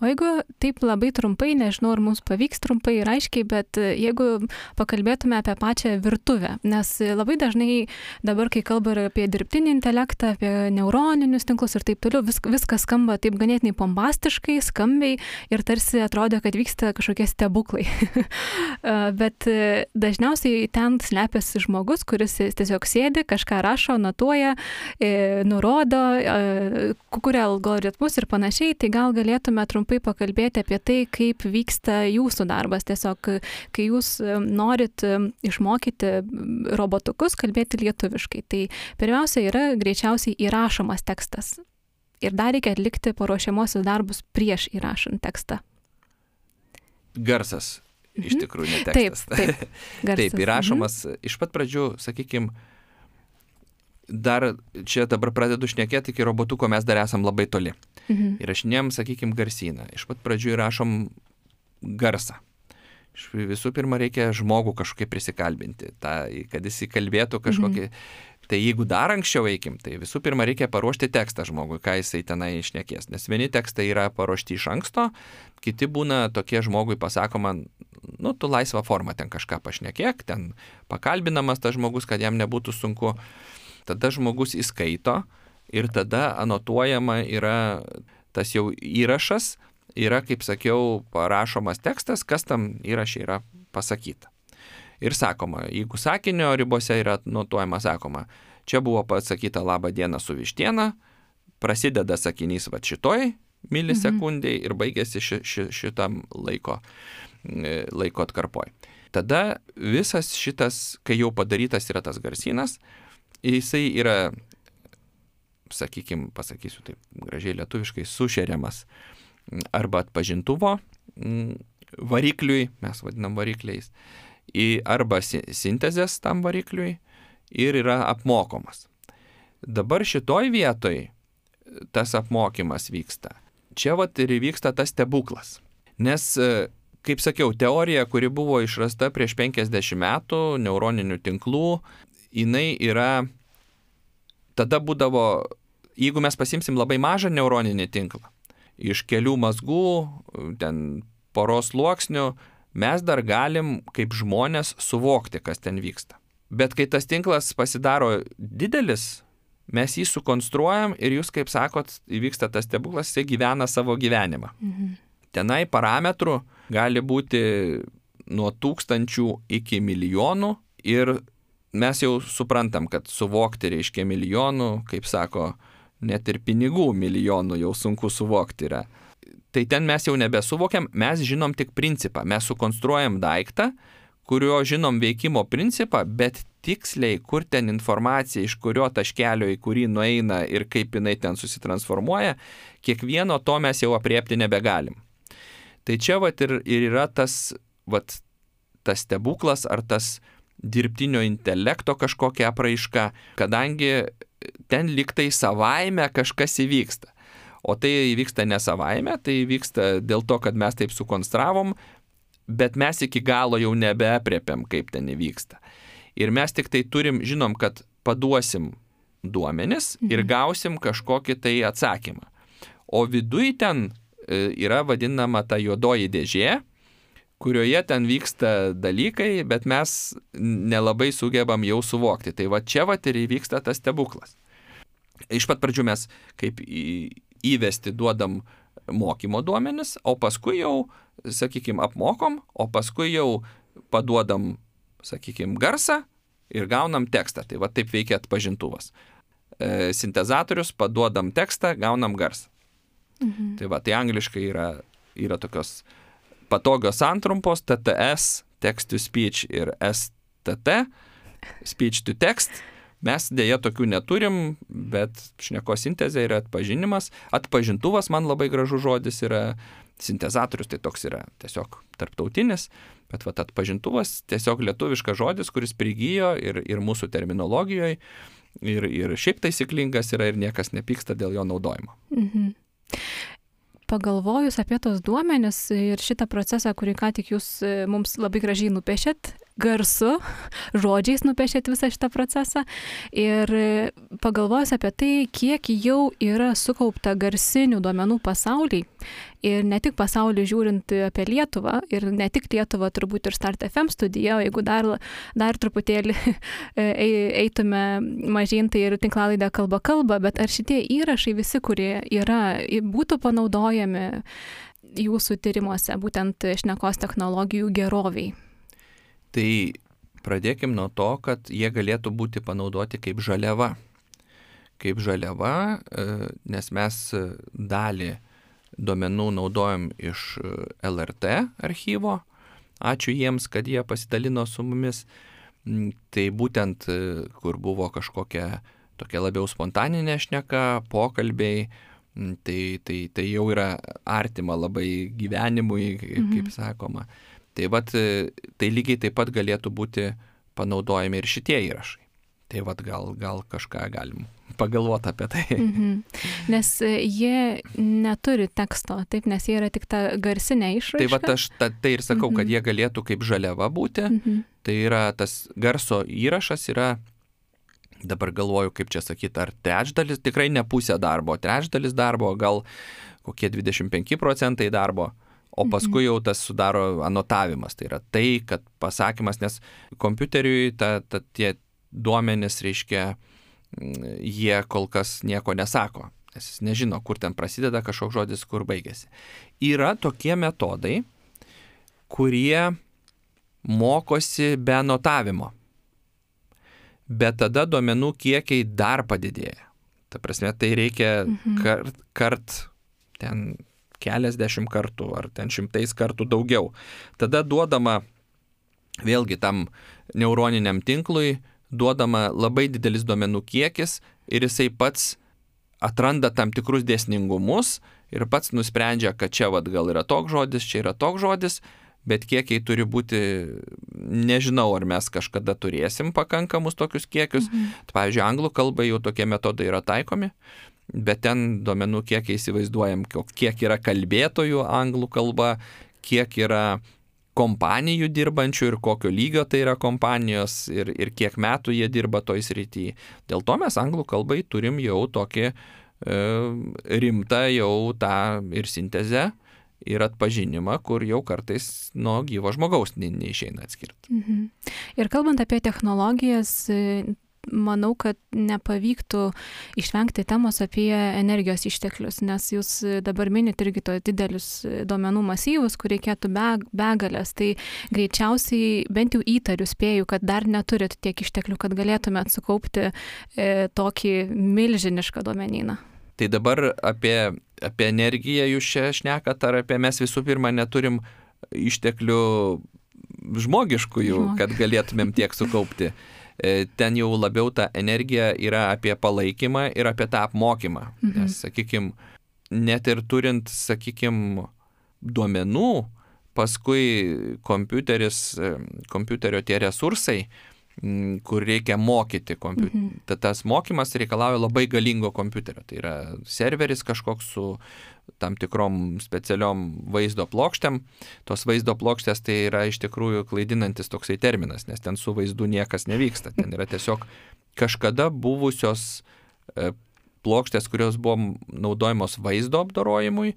O jeigu taip labai trumpai, nežinau, ar mums pavyks trumpai ir aiškiai, bet jeigu pakalbėtume apie pačią virtuvę, nes labai dažnai dabar, kai kalba apie dirbtinį intelektą, apie neuroninius tinklus ir taip toliau, viskas skamba taip ganėtinai bombastiškai, skambiai ir tarsi atrodo, kad vyksta kažkokie stebuklai. Bet dažniausiai ten slepiasi žmogus, kuris tiesiog sėdi, kažką rašo, notuoja, nurodo, kuria algoritmus ir panašiai, tai gal galėtume trumpai pakalbėti apie tai, kaip vyksta jūsų darbas. Tiesiog, kai jūs norit išmokyti robotukus kalbėti lietuviškai, tai pirmiausia yra greičiausiai įrašomas tekstas. Ir dar reikia atlikti paruošiamosius darbus prieš įrašant tekstą. Garsas, iš tikrųjų, ne tekstas. Taip, garsas. Taip, įrašomas iš pat pradžių, sakykime, dar čia dabar pradedu šnekėti, iki robotuko mes dar esam labai toli. Įrašinėjom, sakykime, garsyną. Iš pat pradžių įrašom garsą. Visų pirma, reikia žmogų kažkaip prisikalbinti, kad jis įkalbėtų kažkokį Tai jeigu dar anksčiau eikim, tai visų pirma reikia paruošti tekstą žmogui, ką jisai tenai išnekės. Nes vieni tekstai yra paruošti iš anksto, kiti būna tokie žmogui pasakoma, tu laisvą formą ten kažką pašnekėk, ten pakalbinamas tas žmogus, kad jam nebūtų sunku. Tada žmogus įskaito ir tada anotuojama yra tas jau įrašas, yra, kaip sakiau, parašomas tekstas, kas tam įraše yra pasakyta. Ir sakoma, jeigu sakinio ribose yra notuojama, sakoma, čia buvo pasakyta labą dieną su vištiena, prasideda sakinys šitoj milisekundėj ir baigėsi šitam laiko atkarpoj. Tada visas šitas, kai jau padarytas yra tas garsynas, jisai yra, pasakysiu taip gražiai lietuviškai, sušeriamas arba atpažintuvo varikliui, mes vadinam varikliais, arba sintezės tam varikliui ir yra apmokomas. Dabar šitoj vietoj tas apmokymas vyksta. Čia ir vyksta tas stebuklas. Nes, kaip sakiau, teorija, kuri buvo išrasta prieš 50 metų, neuroninių tinklų, jinai yra, tada būdavo, jeigu mes pasimsim labai mažą neuroninį tinklą, iš kelių mazgų, ten poros sluoksnių, mes dar galim kaip žmonės suvokti, kas ten vyksta. Bet kai tas tinklas pasidaro didelis, mes jį sukonstruojam ir jūs, kaip sakot, įvyksta tas stebuklas, jis gyvena savo gyvenimą. Tenai parametrų gali būti nuo 1000 iki milijonų ir mes jau suprantam, kad suvokti reiškia milijonų, kaip sako, net ir pinigų milijonų jau sunku suvokti yra. Tai ten mes jau nebesuvokiam, mes žinom tik principą. Mes sukonstruojam daiktą, kurio žinom veikimo principą, bet tiksliai, kur ten informacija, iš kurio taškelio į kurį nueina ir kaip jinai ten susitransformuoja, kiekvieno to mes jau apriepti nebegalim. Tai čia ir yra tas stebuklas ar tas dirbtinio intelekto kažkokia apraiška, kadangi ten liktai savaime kažkas įvyksta. O tai įvyksta ne savaime, tai įvyksta dėl to, kad mes taip sukonstravom, bet mes iki galo jau nebeapriepiam, kaip ten įvyksta. Ir mes tik tai žinom, kad paduosim duomenis ir gausim kažkokį tai atsakymą. O viduj ten yra vadinama ta juodoji dėžė, kurioje ten vyksta dalykai, bet mes nelabai sugebam jau suvokti. Tai čia ir įvyksta tas stebuklas. Iš pat pradžių mes kaip įvesti duodam mokymo duomenis, o paskui jau, apmokom, o paskui jau paduodam, garsą ir gaunam tekstą. Tai taip veikia atpažintuvas. Sintezatorius, paduodam tekstą, gaunam garsą. Tai angliškai yra tokios patogios santrumpos, TTS, text to speech ir STT, speech to text. Mes dėja tokių neturim, bet šnekos sintezė yra atpažinimas. Atpažintuvas, man labai gražus žodis, yra sintezatorius, tai toks yra tiesiog tarptautinis, bet atpažintuvas tiesiog lietuviškas žodis, kuris prigijo ir mūsų terminologijoje, ir šiaip taisyklingas yra ir niekas nepyksta dėl jo naudojimo. Pagalvojus apie tos duomenis ir šitą procesą, kurį ką tik jūs mums labai gražiai nupiešėt, garsu, žodžiais nupiešėt visą šitą procesą ir pagalvojus apie tai, kiek jau yra sukaupta garsinių duomenų pasaulyje ir ne tik pasaulį žiūrint apie Lietuvą ir ne tik Lietuvą, turbūt ir Start FM studija, o jeigu dar truputėlį eitume mažyn, tai ir tinklalaidė kalba, bet ar šitie įrašai visi, kurie yra, būtų panaudojami jūsų tyrimuose, būtent šnekos technologijų geroviai? Tai pradėkim nuo to, kad jie galėtų būti panaudoti kaip žaliava. Kaip žaliava, nes mes dalį duomenų naudojam iš LRT archyvo. Ačiū jiems, kad jie pasidalino su mumis. Tai būtent, kur buvo kažkokia tokia labiau spontaninė šneka, pokalbiai, tai jau yra artima labai gyvenimui, kaip sakoma. Tai tai lygiai taip pat galėtų būti panaudojami ir šitie įrašai. Tai gal kažką galim pagalvoti apie tai. Nes jie neturi teksto, taip, nes jie yra tik ta garsinė išraiška. Tai aš tai ir sakau, kad jie galėtų kaip žaliava būti. Tai yra tas garso įrašas yra dabar galvoju, kaip čia sakyti, ar trečdalis, tikrai ne pusė darbo, trečdalis darbo, gal kokie 25% darbo, o paskui jau tas sudaro anotavimas. Tai yra tai, kad pasakymas, nes kompiuteriui tie duomenys, reiškia, jie kol kas nieko nesako, nes jis nežino, kur ten prasideda kažkoks žodis, kur baigėsi. Yra tokie metodai, kurie mokosi be anotavimo, bet tada duomenų kiekiai dar padidėja. Ta prasme, tai reikia ten keliasdešimt kartų ar ten 100 kartų daugiau. Tada duodama, vėlgi tam neuroniniam tinklui, duodama labai didelis duomenų kiekis ir jisai pats atranda tam tikrus dėsningumus ir pats nusprendžia, kad čia gal yra toks žodis, čia yra toks žodis, bet kiekiai turi būti, nežinau, ar mes kažkada turėsim pakankamus tokius kiekius. Pavyzdžiui, anglų kalbai jau tokie metodai yra taikomi, bet ten duomenų kiekiai įsivaizduojam, kiek yra kalbėtojų anglų kalba, kiek yra kompanijų dirbančių ir kokio lygio tai yra kompanijos ir kiek metų jie dirba toj srity. Dėl to mes anglų kalbai turim jau tokį rimtą jau tą ir sintezę, ir atpažinimą, kur jau kartais nuo gyvo žmogaus neišeina atskirti. Ir kalbant apie technologijas, manau, kad nepavyktų išvengti temos apie energijos išteklius, nes jūs dabar minit irgi to didelius duomenų masyvus, kur reikėtų begalės. Tai greičiausiai, bent jau įtariu, spėju, kad dar neturit tiek išteklių, kad galėtumėt sukaupti tokį milžinišką duomenyną. Tai dabar apie energiją jūs čia šnekat, ar apie mes visų pirma neturim išteklių žmogiškųjų, kad galėtumėm tiek sukaupti. Ten jau labiau ta energija yra apie palaikymą ir apie tą apmokymą. Nes, sakykime, net ir turint, sakykime, duomenų, paskui kompiuterio tie resursai, kur reikia mokyti kompiuterį. Tas mokymas reikalauja labai galingo kompiuterio. Tai yra serveris kažkoks su tam tikrom specialiom vaizdo plokštėm. Tos vaizdo plokštės tai yra iš tikrųjų klaidinantis toksai terminas, nes ten su vaizdu niekas nevyksta. Ten yra tiesiog kažkada buvusios plokštės, kurios buvo naudojamos vaizdo apdorojimui,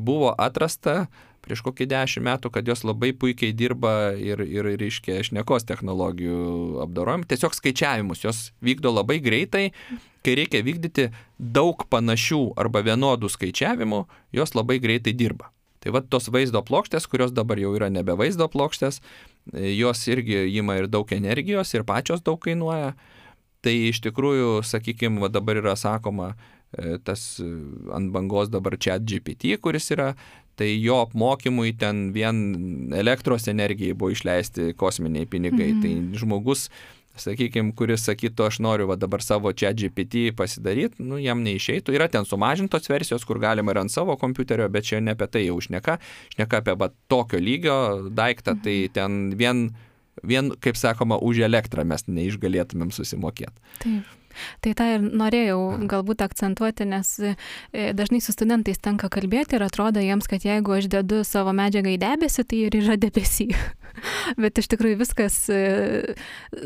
buvo atrasta prieš kokį 10 metų, kad jos labai puikiai dirba ir reiškia šnekos technologijų apdorojimą. Tiesiog skaičiavimus jos vykdo labai greitai, kai reikia vykdyti daug panašių arba vienodų skaičiavimų, jos labai greitai dirba. Tai va tos vaizdo plokštės, kurios dabar jau yra nebe vaizdo plokštės, jos irgi ima ir daug energijos ir pačios daug kainuoja. Tai iš tikrųjų, sakykime, dabar yra sakoma, tas ant bangos dabar ChatGPT, kuris yra, tai jo apmokymui ten vien elektros energijai buvo išleisti kosminiai pinigai. Tai žmogus, sakykime, kuris sakytų, aš noriu dabar savo ChatGPT pasidaryti, jam neišeitų. Yra ten sumažintos versijos, kur galima ir ant savo kompiuterio, bet čia ne apie tai jau šneka apie tokio lygio daiktą, tai ten vien, kaip sakoma, už elektrą mes neišgalėtumėm susimokėti. Taip. Tai tą ir norėjau galbūt akcentuoti, nes dažnai su studentais tenka kalbėti ir atrodo jiems, kad jeigu aš dedu savo medžiagą į debesį, tai ir yra debesy. Bet iš tikrųjų viskas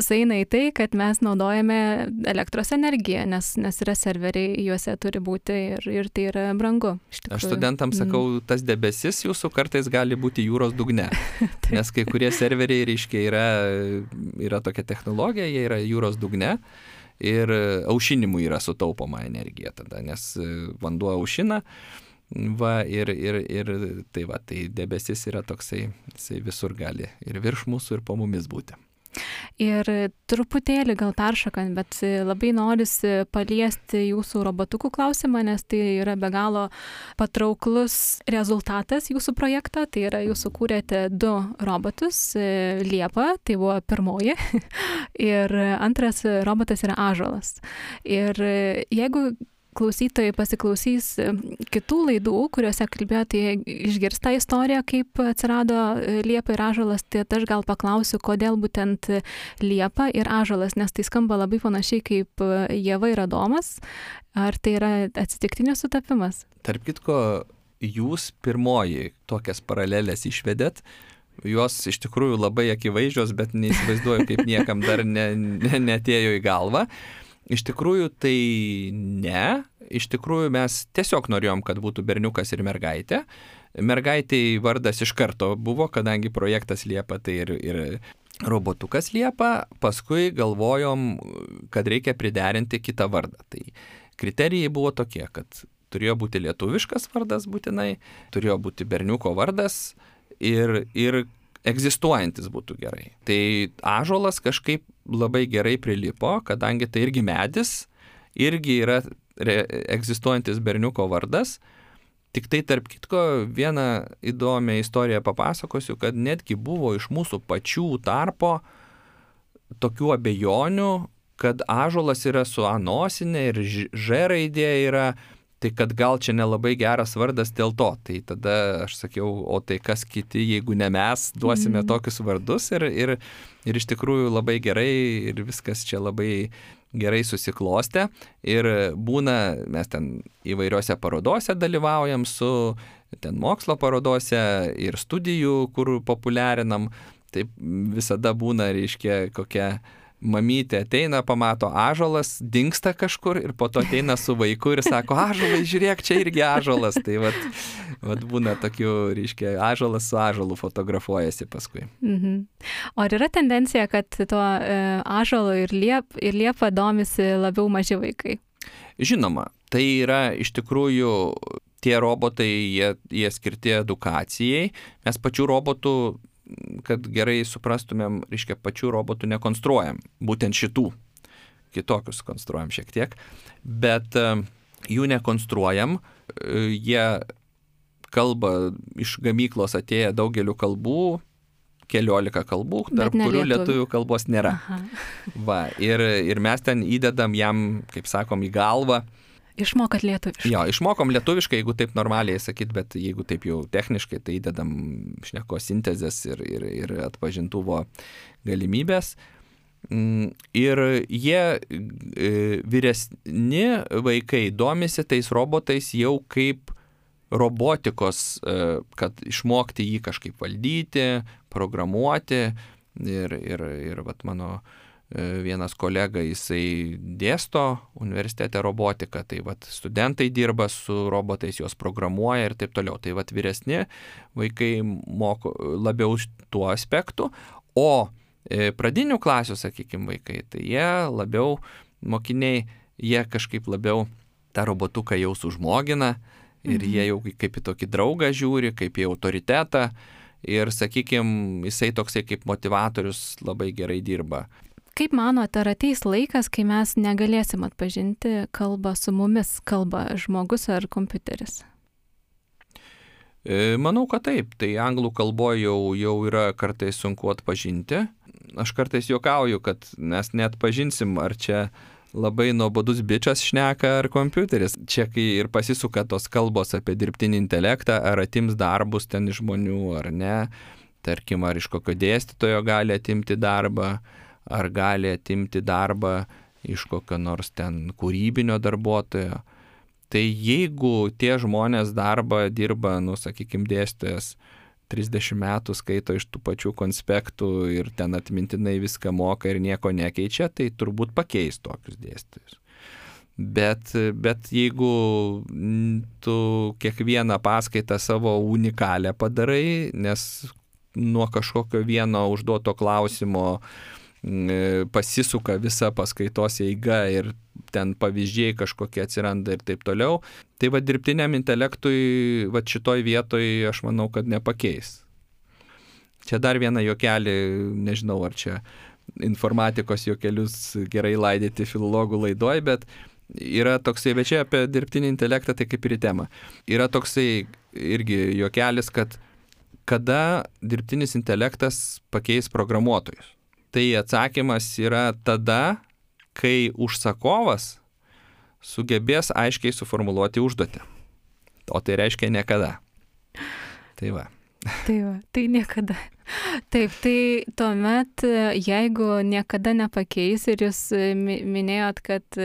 sueina į tai, kad mes naudojame elektros energiją, nes yra serveriai, juose turi būti ir tai yra brangu. Aš studentams sakau, tas debesis jūsų kartais gali būti jūros dugne, nes kai kurie serveriai, reiškia, yra tokia technologija, jie yra jūros dugne. Ir aušinimui yra sutaupoma energija tada, nes vanduo aušina, tai debesis yra toksai, jisai visur gali ir virš mūsų, ir po mumis būti. Ir truputėlį gal peršokant, bet labai norisi paliesti jūsų robotukų klausimą, nes tai yra be galo patrauklus rezultatas jūsų projekto. Tai yra, jūs sukūrėte 2 robotus, Liepa, tai buvo pirmoji, ir antras robotas yra Ąžuolas. Ir jeigu klausytojai pasiklausys kitų laidų, kuriuose kalbėjo, tai išgirs tą istoriją, kaip atsirado Liepa ir Ąžuolas, tai aš gal paklausiu, kodėl būtent Liepa ir Ąžuolas, nes tai skamba labai panašiai kaip Ieva ir Adomas. Ar tai yra atsitiktinis sutapimas? Tarp kitko, jūs pirmoji tokias paralelės išvedėt, jos iš tikrųjų labai akivaizdžios, bet neįsivaizduoju, kaip niekam dar neatėjo į galvą. Iš tikrųjų tai ne, iš tikrųjų mes tiesiog norėjom, kad būtų berniukas ir mergaitė. Mergaitei vardas iš karto buvo, kadangi projektas Liepa, tai ir robotukas Liepa, paskui galvojom, kad reikia priderinti kitą vardą. Tai kriterijai buvo tokie, kad turėjo būti lietuviškas vardas būtinai, turėjo būti berniuko vardas ir egzistuojantis būtų gerai. Tai ąžuolas kažkaip labai gerai prilipo, kadangi tai irgi medis, irgi yra egzistuojantis berniuko vardas. Tik tai tarp kitko vieną įdomią istoriją papasakosiu, kad netgi buvo iš mūsų pačių tarpo tokių abejonių, kad ąžuolas yra su A nosinė ir Ž raidė yra, tai kad gal čia nelabai geras vardas dėl to. Tai tada aš sakiau, o tai kas kiti, jeigu ne mes, duosime tokius vardus ir iš tikrųjų labai gerai ir viskas čia labai gerai susiklostę. Ir būna, mes ten įvairiose parodose dalyvaujam su ten mokslo parodose ir studijų, kur populiarinam. Taip visada būna, reiškia, kokia mamytė ateina, pamato ąžuolas, dingsta kažkur ir po to ateina su vaiku ir sako, ąžuolai, žiūrėk, čia irgi ąžuolas. Tai vat būna tokių, reiškia, ąžuolas su ąžuolu fotografuojasi paskui. O ar yra tendencija, kad tuo ąžuolu ir Liepa domisi labiau maži vaikai? Žinoma, tai yra iš tikrųjų tie robotai, jie skirti edukacijai. Mes pačių robotų, kad gerai suprastumėm, reiškia, pačių robotų nekonstruojam, būtent šitų, kitokius konstruojam šiek tiek, bet jų nekonstruojam, jie kalba iš gamyklos atėję daugeliu kalbų, 14 kalbų, tarp kurių lietuvių kalbos nėra. Va, ir mes ten įdedam jam, kaip sakom, į galvą. Išmokat lietuviškai. Jo, išmokom lietuviškai, jeigu taip normaliai sakyt, bet jeigu taip jau techniškai, tai įdedam šnekos sintezės ir atpažintuvo galimybės. Ir jie vyresni vaikai domisi tais robotais jau kaip robotikos, kad išmokti jį kažkaip valdyti, programuoti. Ir vat mano vienas kolega, jisai dėsto universitete robotiką, tai vat studentai dirba su robotais, juos programuoja ir taip toliau. Tai vat vyresni vaikai moko labiau tuo aspektu, o pradinių klasių, sakykime, vaikai, tai jie labiau, mokiniai, jie kažkaip labiau tą robotuką jau sužmogina ir jie jau kaip į tokį draugą žiūri, kaip į autoritetą ir, sakykime, jisai toksai kaip motivatorius labai gerai dirba. Kaip manote, ar ateis laikas, kai mes negalėsim atpažinti kalbą su mumis, kalba žmogus ar kompiuteris? Manau, kad taip. Tai anglų kalboje jau yra kartais sunku atpažinti. Aš kartais juokauju, kad mes neatpažinsim, ar čia labai nuobodus bičas šneka ar kompiuteris. Čia kai ir pasisuka tos kalbos apie dirbtinį intelektą, ar atims darbus ten iš žmonių ar ne. Tarkim, ar iš kokio dėstytojo gali atimti darbą, ar gali atimti darbą iš kokio nors ten kūrybinio darbuotojo. Tai jeigu tie žmonės darbą dirba, sakykime, dėstytojas 30 metų skaito iš tų pačių konspektų ir ten atmintinai viską moka ir nieko nekeičia, tai turbūt pakeis tokius dėstytojus. Bet jeigu tu kiekvieną paskaitą savo unikalią padarai, nes nuo kažkokio vieno užduoto klausimo pasisuka visa paskaitos eiga ir ten pavyzdžiai kažkokie atsiranda ir taip toliau, tai va dirbtiniam intelektui va šitoj vietoj aš manau, kad nepakeis. Čia dar vieną juokelį, nežinau ar čia informatikos juokelius gerai laidyti filologų laidoj, bet yra toksai, bet čia apie dirbtinį intelektą, tai kaip ir į temą. Yra toksai irgi juokelis, kad kada dirbtinis intelektas pakeis programuotojus. Tai atsakymas yra tada, kai užsakovas sugebės aiškiai suformuluoti užduotį. O tai reiškia niekada. Tai va. Tai niekada. Taip, tai tuomet, jeigu niekada nepakeis ir jūs minėjot, kad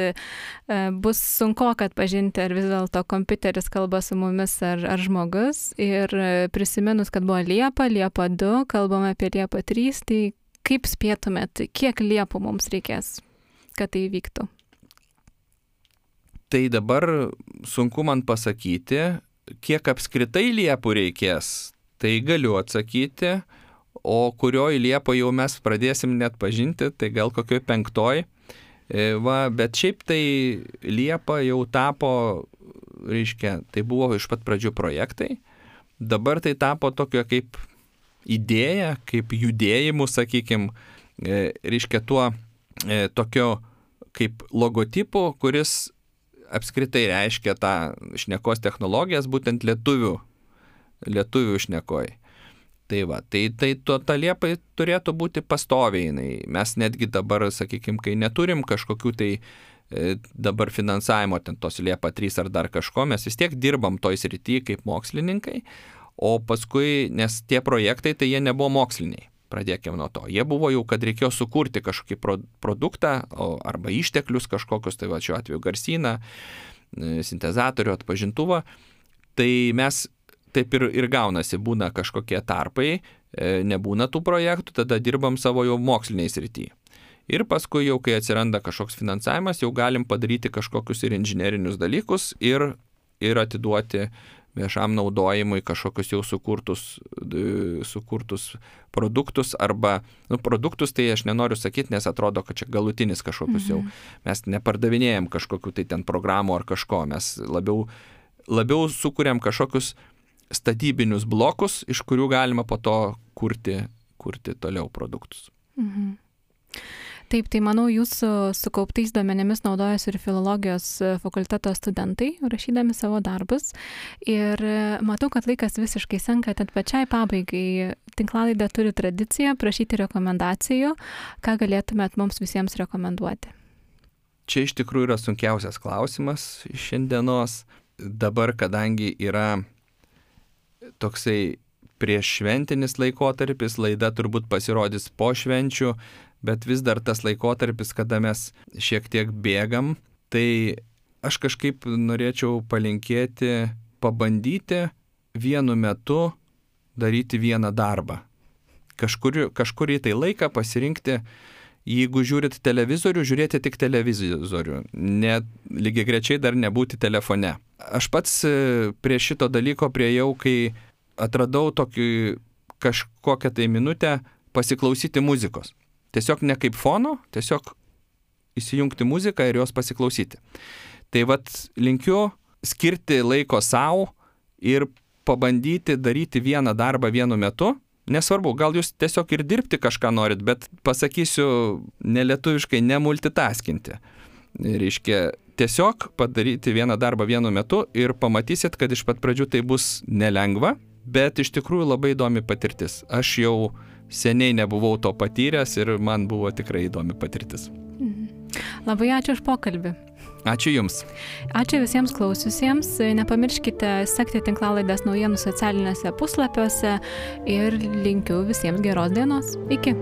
bus sunku atpažinti, ar vis dėlto kompiuteris kalba su mumis, ar žmogus, ir prisiminus, kad buvo Liepa 2, kalbame apie Liepą 3, tai kaip spėtumėt, kiek liepų mums reikės, kad tai vyktų? Tai dabar sunku man pasakyti, kiek apskritai liepų reikės, tai galiu atsakyti, o kurioj Liepoj jau mes pradėsim net pažinti, tai gal kokioj 5. Bet šiaip tai Liepa jau tapo, reiškia, tai buvo iš pat pradžių projektai, dabar tai tapo tokio kaip idėja, kaip judėjimu, sakykime, reiškia tuo tokio kaip logotipu, kuris apskritai reiškia tą šnekos technologijas, būtent lietuvių šnekoj. Tai va, tai ta Liepa turėtų būti pastoviai. Mes netgi dabar, sakykime, kai neturim kažkokių tai dabar finansavimo, ten tos Liepa 3 ar dar kažko, mes vis tiek dirbam toj srity kaip mokslininkai, o paskui, nes tie projektai, tai jie nebuvo moksliniai. Pradėkime nuo to. Jie buvo jau, kad reikėjo sukurti kažkokį produktą arba išteklius kažkokius, tai va šiuo atveju garsyną, sintezatorių, atpažintuvą. Tai mes taip ir gaunasi, būna kažkokie tarpai, nebūna tų projektų, tada dirbam savo jau moksliniai srity. Ir paskui jau, kai atsiranda kažkoks finansavimas, jau galim padaryti kažkokius ir inžinerinius dalykus ir atiduoti viešam naudojimui kažkokius jau sukurtus produktus arba, produktus tai aš nenoriu sakyti, nes atrodo, kad čia galutinis kažkokius jau, mes nepardavinėjom kažkokių tai ten programų ar kažko, mes labiau sukuriam kažkokius statybinius blokus, iš kurių galima po to kurti toliau produktus. Taip, tai manau, jūsų sukauptais duomenimis naudojasi ir filologijos fakulteto studentai, rašydami savo darbus. Ir matau, kad laikas visiškai senka, tad pačiai pabaigai tinklalaidė turi tradiciją prašyti rekomendacijų. Ką galėtumėt mums visiems rekomenduoti? Čia iš tikrųjų yra sunkiausias klausimas šiandienos. Dabar, kadangi yra toksai prieššventinis laikotarpis, laida turbūt pasirodys po švenčių, bet vis dar tas laikotarpis, kada mes šiek tiek bėgam, tai aš kažkaip norėčiau palinkėti, pabandyti vienu metu daryti vieną darbą. Kažkurį tai laiką pasirinkti, jeigu žiūrit televizorių, žiūrėti tik televizorių, lygiagrečiai dar nebūti telefone. Aš pats prie šito dalyko priejau, kai atradau kažkokią tai minutę pasiklausyti muzikos. Tiesiog ne kaip fono, tiesiog įsijungti muziką ir jos pasiklausyti. Tai vat linkiu skirti laiko savo ir pabandyti daryti vieną darbą vienu metu. Nesvarbu, gal jūs tiesiog ir dirbti kažką norit, bet pasakysiu nelietuviškai nemultitaskinti. Reiškia, tiesiog padaryti vieną darbą vienu metu ir pamatysit, kad iš pat pradžių tai bus nelengva, bet iš tikrųjų labai įdomi patirtis. Aš jau seniai nebuvau to patyręs ir man buvo tikrai įdomi patirtis. Labai ačiū už pokalbį. Ačiū Jums. Ačiū visiems klausiusiems. Nepamirškite sekti tinklalaidės naujienų socialinėse puslapiuose ir linkiu visiems geros dienos. Iki.